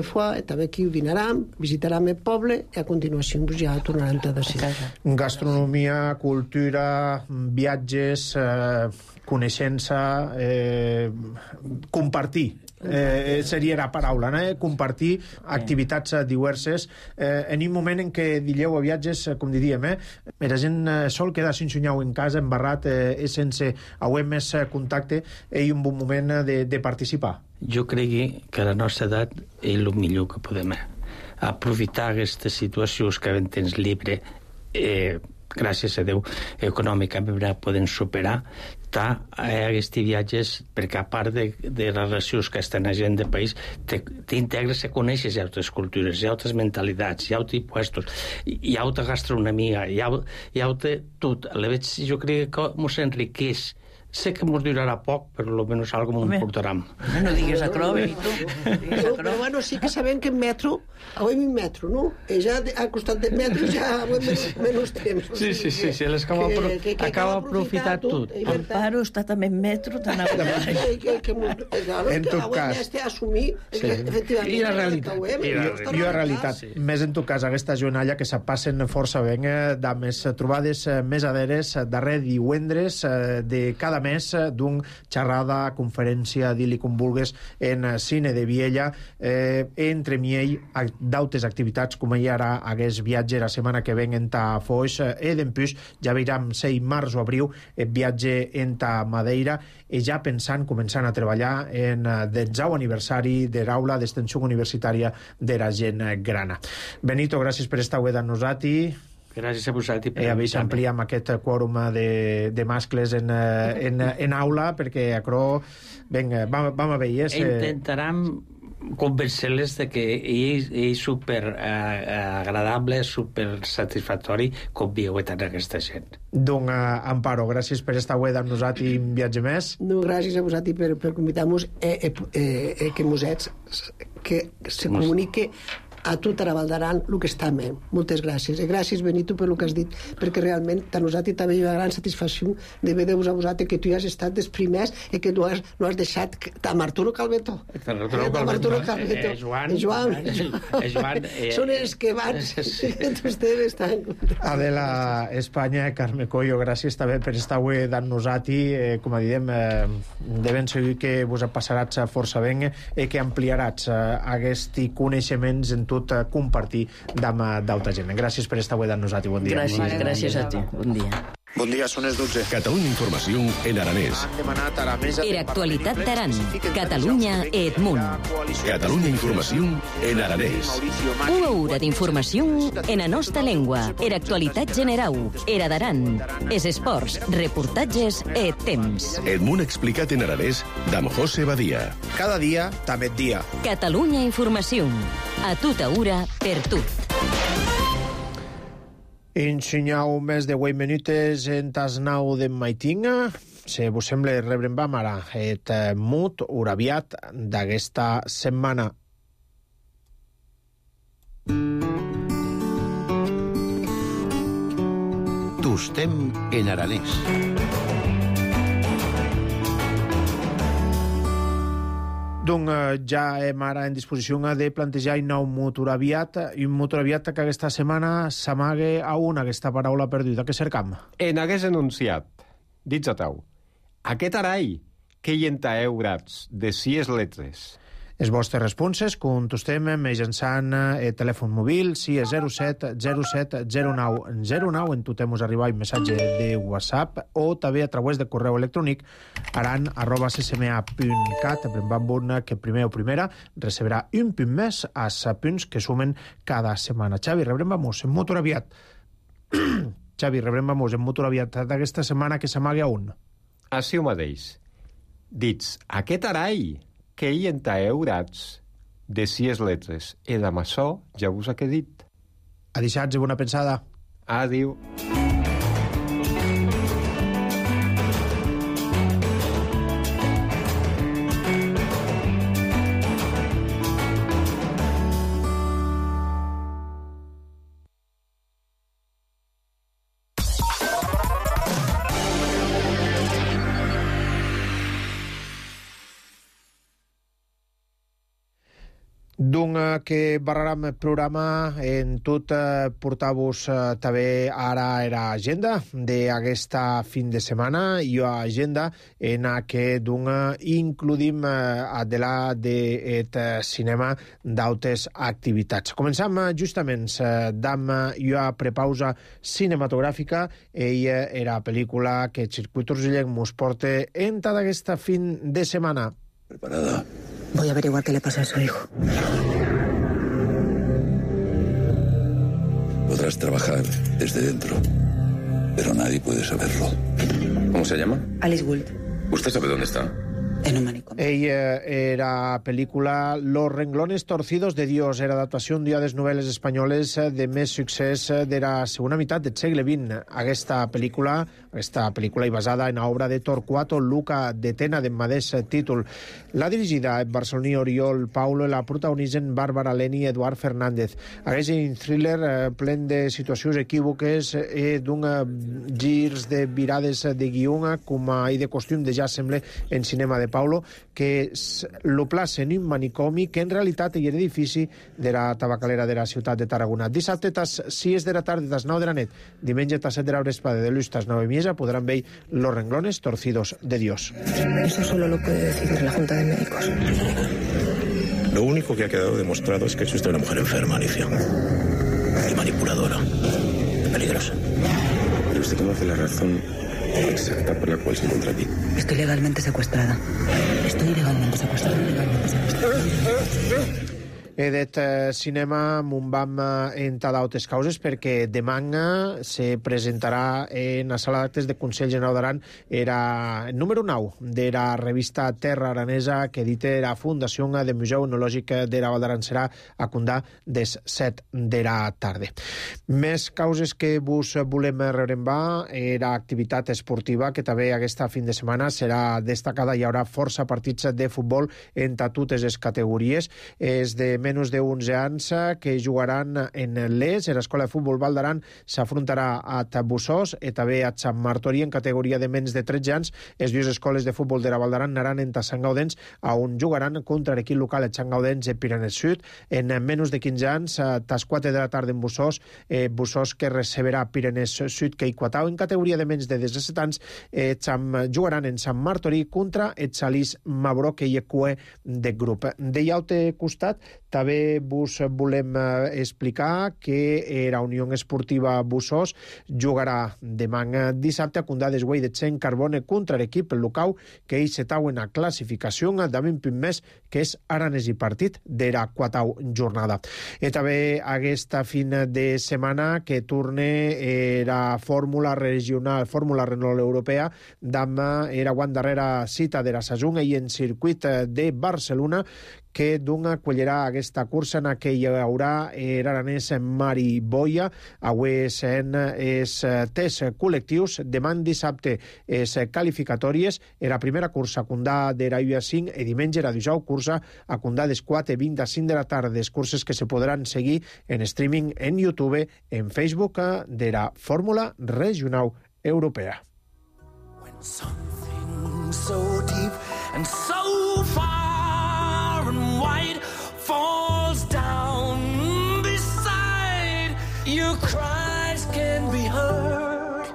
Foix, també aquí ho dinarem, visitarem el poble i a continuació pues, ja tornarem a casa. Gastronomia, cultura, viatges, coneixença, compartir. Seria la paraula, compartir activitats diverses en un moment en què dileu a viatges, com diríem, la gent sol quedar sense sunyau en casa, embarrat, sense haver més contacte, i un bon moment de participar. Jo crec que a la nostra edat és el millor que podem aprofitar aquestes situacions que havent temps llibre, gràcies a Déu, econòmicament poden superar aquests viatges, perquè a part de les relacions que estan a gent de país, t'integres i coneixes altres cultures, hi ha altres mentalitats, hi ha altres puestos, hi ha altra gastronomia, hi ha altra tot. Jo crec que ens enriqueix. Sé que ens durarà poc, però almenys algo m'ho portarem. No digues acròbic, tu. Però bueno, sí que sabem que en metro, avui en metro, no? Ja al costat del metro ja menys temps. Sí, acaba aprofitar tot. Amparo està també en metro, tan a En tot cas. I la realitat. Més en tot cas, aquesta jornada que se passen força ben, de més trobades més aderes, darrer divendres de cada més d'un xerrada, conferència, dir-li com vulgues, en Cine de Viella, entre miei d'altres activitats, com hi ara hagués viatge la setmana que ven en ta Foix, d'empús ja veiram 6 març o abril viatge en ta Madeira, i ja començant a treballar en el 10è aniversari de l'aula d'extensió universitària de la gent grana. Benito, gràcies per estar avui amb nosaltres. Gràcies a vosaltres. Avui s'amplia amb aquest quòrum de mascles en aula, perquè vinga, vam a veure. Intentarem convencer-les de que és super agradable, super satisfactori conviure tant aquesta gent. Doncs, Amparo, gràcies per estar avui amb nosaltres i un viatge més. No, gràcies a vosaltres per convidar-nos que mosets que se comunique a tot a la Val d'Aran el que està bé. Moltes gràcies. I gràcies, Benito, per el que has dit, perquè realment a nosaltres també hi ha una gran satisfacció de veure-vos a vosaltres que tu ja has estat dels primers i que no has deixat amb Arturo Calveto. Joan. Són els que van. Adela Espanya, Carme Coyo, gràcies també per estar avui amb nosaltres. Com diem, de ben segur que vos passaràs força ben i que ampliaràs aquests coneixements en tot compartir d'altra gent. Gràcies per estar avui amb nosaltres. Bon dia. Gràcies a ti. Bon dia. Bon dia, són les 12. Catalunya Informació en aranès. Per actualitat d'Aran, Catalunya et Munt. Catalunya Informació en aranès. Una hora d'informació en la nostra llengua. Actualitat general, era d'Aran. Es esports, reportatges et temps. El Munt explicat en aranès d'amb José Badia. Cada dia, també et dia. Catalunya Informació. A tota hora, per tot. Ensenyau més de 8 minutes en tas 9 de maitinga. Si vos sembla, rebrem ara et mut uraviat d'aquesta setmana. Tostem en aranès. Doncs ja hem ara en disposició de plantejar un nou motor aviat, i un motor aviat que aquesta setmana s'amaga a aquesta paraula perduda que cercam. En hagués enunciat, dits a tau, aquest arai que hi entaeu grats de 6 lletres. Les vostres responses contestem mitjançant el telèfon mòbil, si és 07 07 09 09, en totem us arribar un missatge de WhatsApp, o també a través de correu electrònic aran@ccma.cat, que primer o primera recebrà un punt més als punts que sumen cada setmana. Xavi, rebrem vamos en motor aviat. Xavi, rebrem vamos en motor aviat d'aquesta setmana que s'amaga on? Així ho mateix. Dits, aquest arai que hi entaeu grats de 6 lletres. I amb això ja vos ha dit. Adixats i bona pensada. Adiu. D'un que barraram el programa en tot portar-vos també ara era agenda d'aquesta fin de setmana i agenda en què d'un includim adelà d'aquest cinema d'altres activitats. Començam justament d'am una prepausa cinematogràfica. Ella era pel·lícula que el Circuit Urgellent mos porta en tota aquesta fin de setmana. Preparada. Voy a averiguar qué le pasa a su hijo. Podrás trabajar desde dentro, pero nadie puede saberlo. ¿Cómo se llama? Alice Gould. ¿Usted sabe dónde está? En un manicomio. Ella era pel·lícula Los renglones torcidos de Dios, era adaptació d'una de les novel·les espanyoles de més succés de la segona meitat del segle XX. Aquesta pel·lícula i basada en l'obra de Torquato Luca de Tena de mateix títol. L'ha dirigida en barceloní Oriol Paulo i la protagonitzen Bàrbara Leni i Eduard Fernández. Aquest és un thriller plen de situacions equívoques i d'un girs de virades de guió com i de costum de ja sembla en cinema de Paulo, que lo plaça en un manicomi que en realitat és l'edifici de la tabacalera de la ciutat de Tarragona. Dissabte tas 6 de la tarda, tas 9 de la nit, diumenge tas 7 de la vesprada, de l'ús tas 9 i mitja, podran veure Los renglones torcidos de Dios. Eso solo lo puede decidir la Junta de Médicos. Lo único que ha quedado demostrado es que es usted una mujer enferma, Alicia. Y manipuladora. Peligrosa. Pero usted conoce la razón exacta por la cual se encuentra aquí. Estoy legalmente secuestrada. D'aquest cinema me'n vam entre d'altres causes perquè demà se presentarà en la sala d'actes de Consell General d'Aran era el número 9 de la revista Terra Aranesa que edita la Fundació del Museu Etnològic de la Val d'Aran. Serà a Condà des 7 de la tarda. Més causes que vos volem rebrembar era activitat esportiva que també aquesta fin de setmana serà destacada. Hi haurà força partits de futbol entre totes les categories. És de menys de 11 anys que jugaran en l'ES. L'Escola de Futbol Val d'Aran s'afrontarà a Bussós i també a Sant Martori en categoria de menys de 13 anys. Les dues escoles de futbol de la Val d'Aran anaran en Sant Gaudens, on jugaran contra l'equip local de Sant Gaudens de Piranès Sud. En menys de 15 anys, a tas 4 de la tarda en Bussós, Bussós que receberà Piranès Sud que Iquatau. En categoria de menys de 17 anys, jugaran en Sant Martori contra el Salís Mabró que hi ha cue de grup. De l'altre costat, també vos volem explicar que la Unió Esportiva Bussós jugarà demà dissabte a Condà d'Esguei de Txent Carbone contra l'equip local que hi setau en la classificació d'am un punt més que és Aranès i partit de la quatau jornada. I també aquesta fin de setmana que torne la fórmula regional, fórmula Renault Europea d'ama era guant darrera cita de la Sajun i en circuit de Barcelona que d'una acollerà aquesta cursa en què hi haurà l'aranès Mari Boia. Avui són els tests col·lectius. Demà dissabte les qualificatòries. La primera cursa a Condà de la UA5 i diumenge la 19 cursa a Condà des 4 i 20 a 5 de la tarda. Les curses que se podran seguir en streaming en YouTube, en Facebook de la Fórmula Regional Europea. When something so deep and so far and wide falls down beside your cries can be heard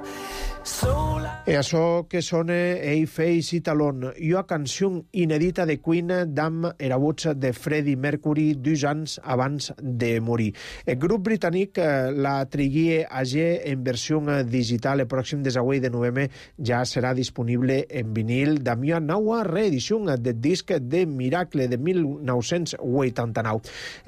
so loud. E això que sona Ei Face i Talon, una canció inedita de Queen d'am era voz de Freddie Mercury 2 anys abans de morir. El grup britànic la trigué ayer en versió digital. El pròxim desagüell de novembre ja serà disponible en vinil d'am una nova reedició del disc de Miracle de 1989.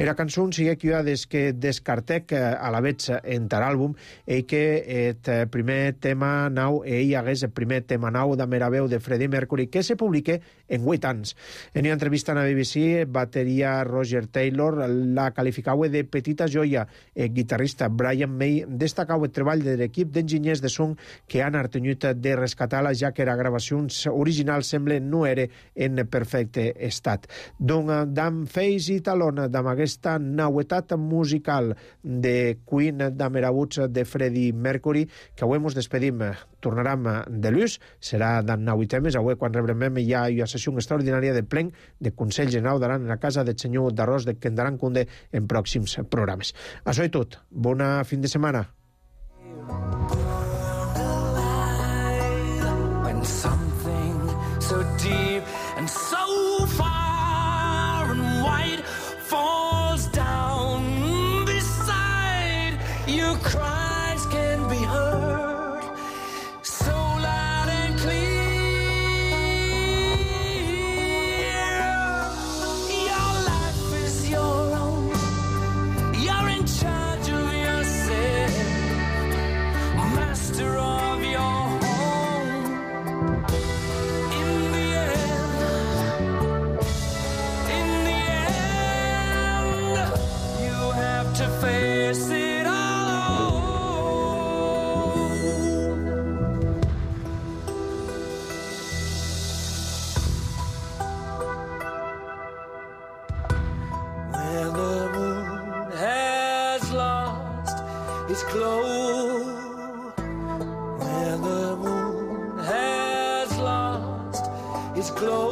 La cançó sigue que una des que descartec a la vez entre l'àlbum i que el primer tema nou ell hagués el primer tema nou de Meraveu de Freddie Mercury que se publique en 8 anys. En una entrevista a la BBC, bateria Roger Taylor la qualificava de petita joia. El guitarrista Brian May destacava el treball de l'equip d'enginyers de son que han artenyut de rescatar-la, ja que la gravació original sembla no era en perfecte estat. Donc, d'am Face i Talon, d'am aquesta nauetat musical de Queen, d'am era voz de Freddie Mercury, que avui ens despedim tornarem de l'ús, serà d'en 9 temes. Avui, quan rebrem, hi ha una sessió extraordinària de plen de Consell General d'Aran en la casa del senyor d'Arròs de Kendaran Kunde en pròxims programes. Això és tot. Bona fin de setmana. When something so deep and so far and wide falls down beside you, cries can be heard so loud and clear. Your life is your own, you're in charge of yourself, master of your home. In the end, you have to face it all. When the moon has lost its glow, when the moon has lost its glow,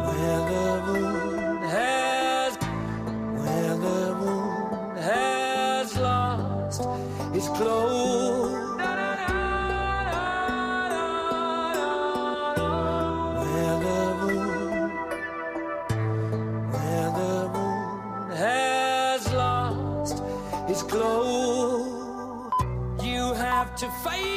when the moon has lost its glow, when the moon has lost its glow, you have to face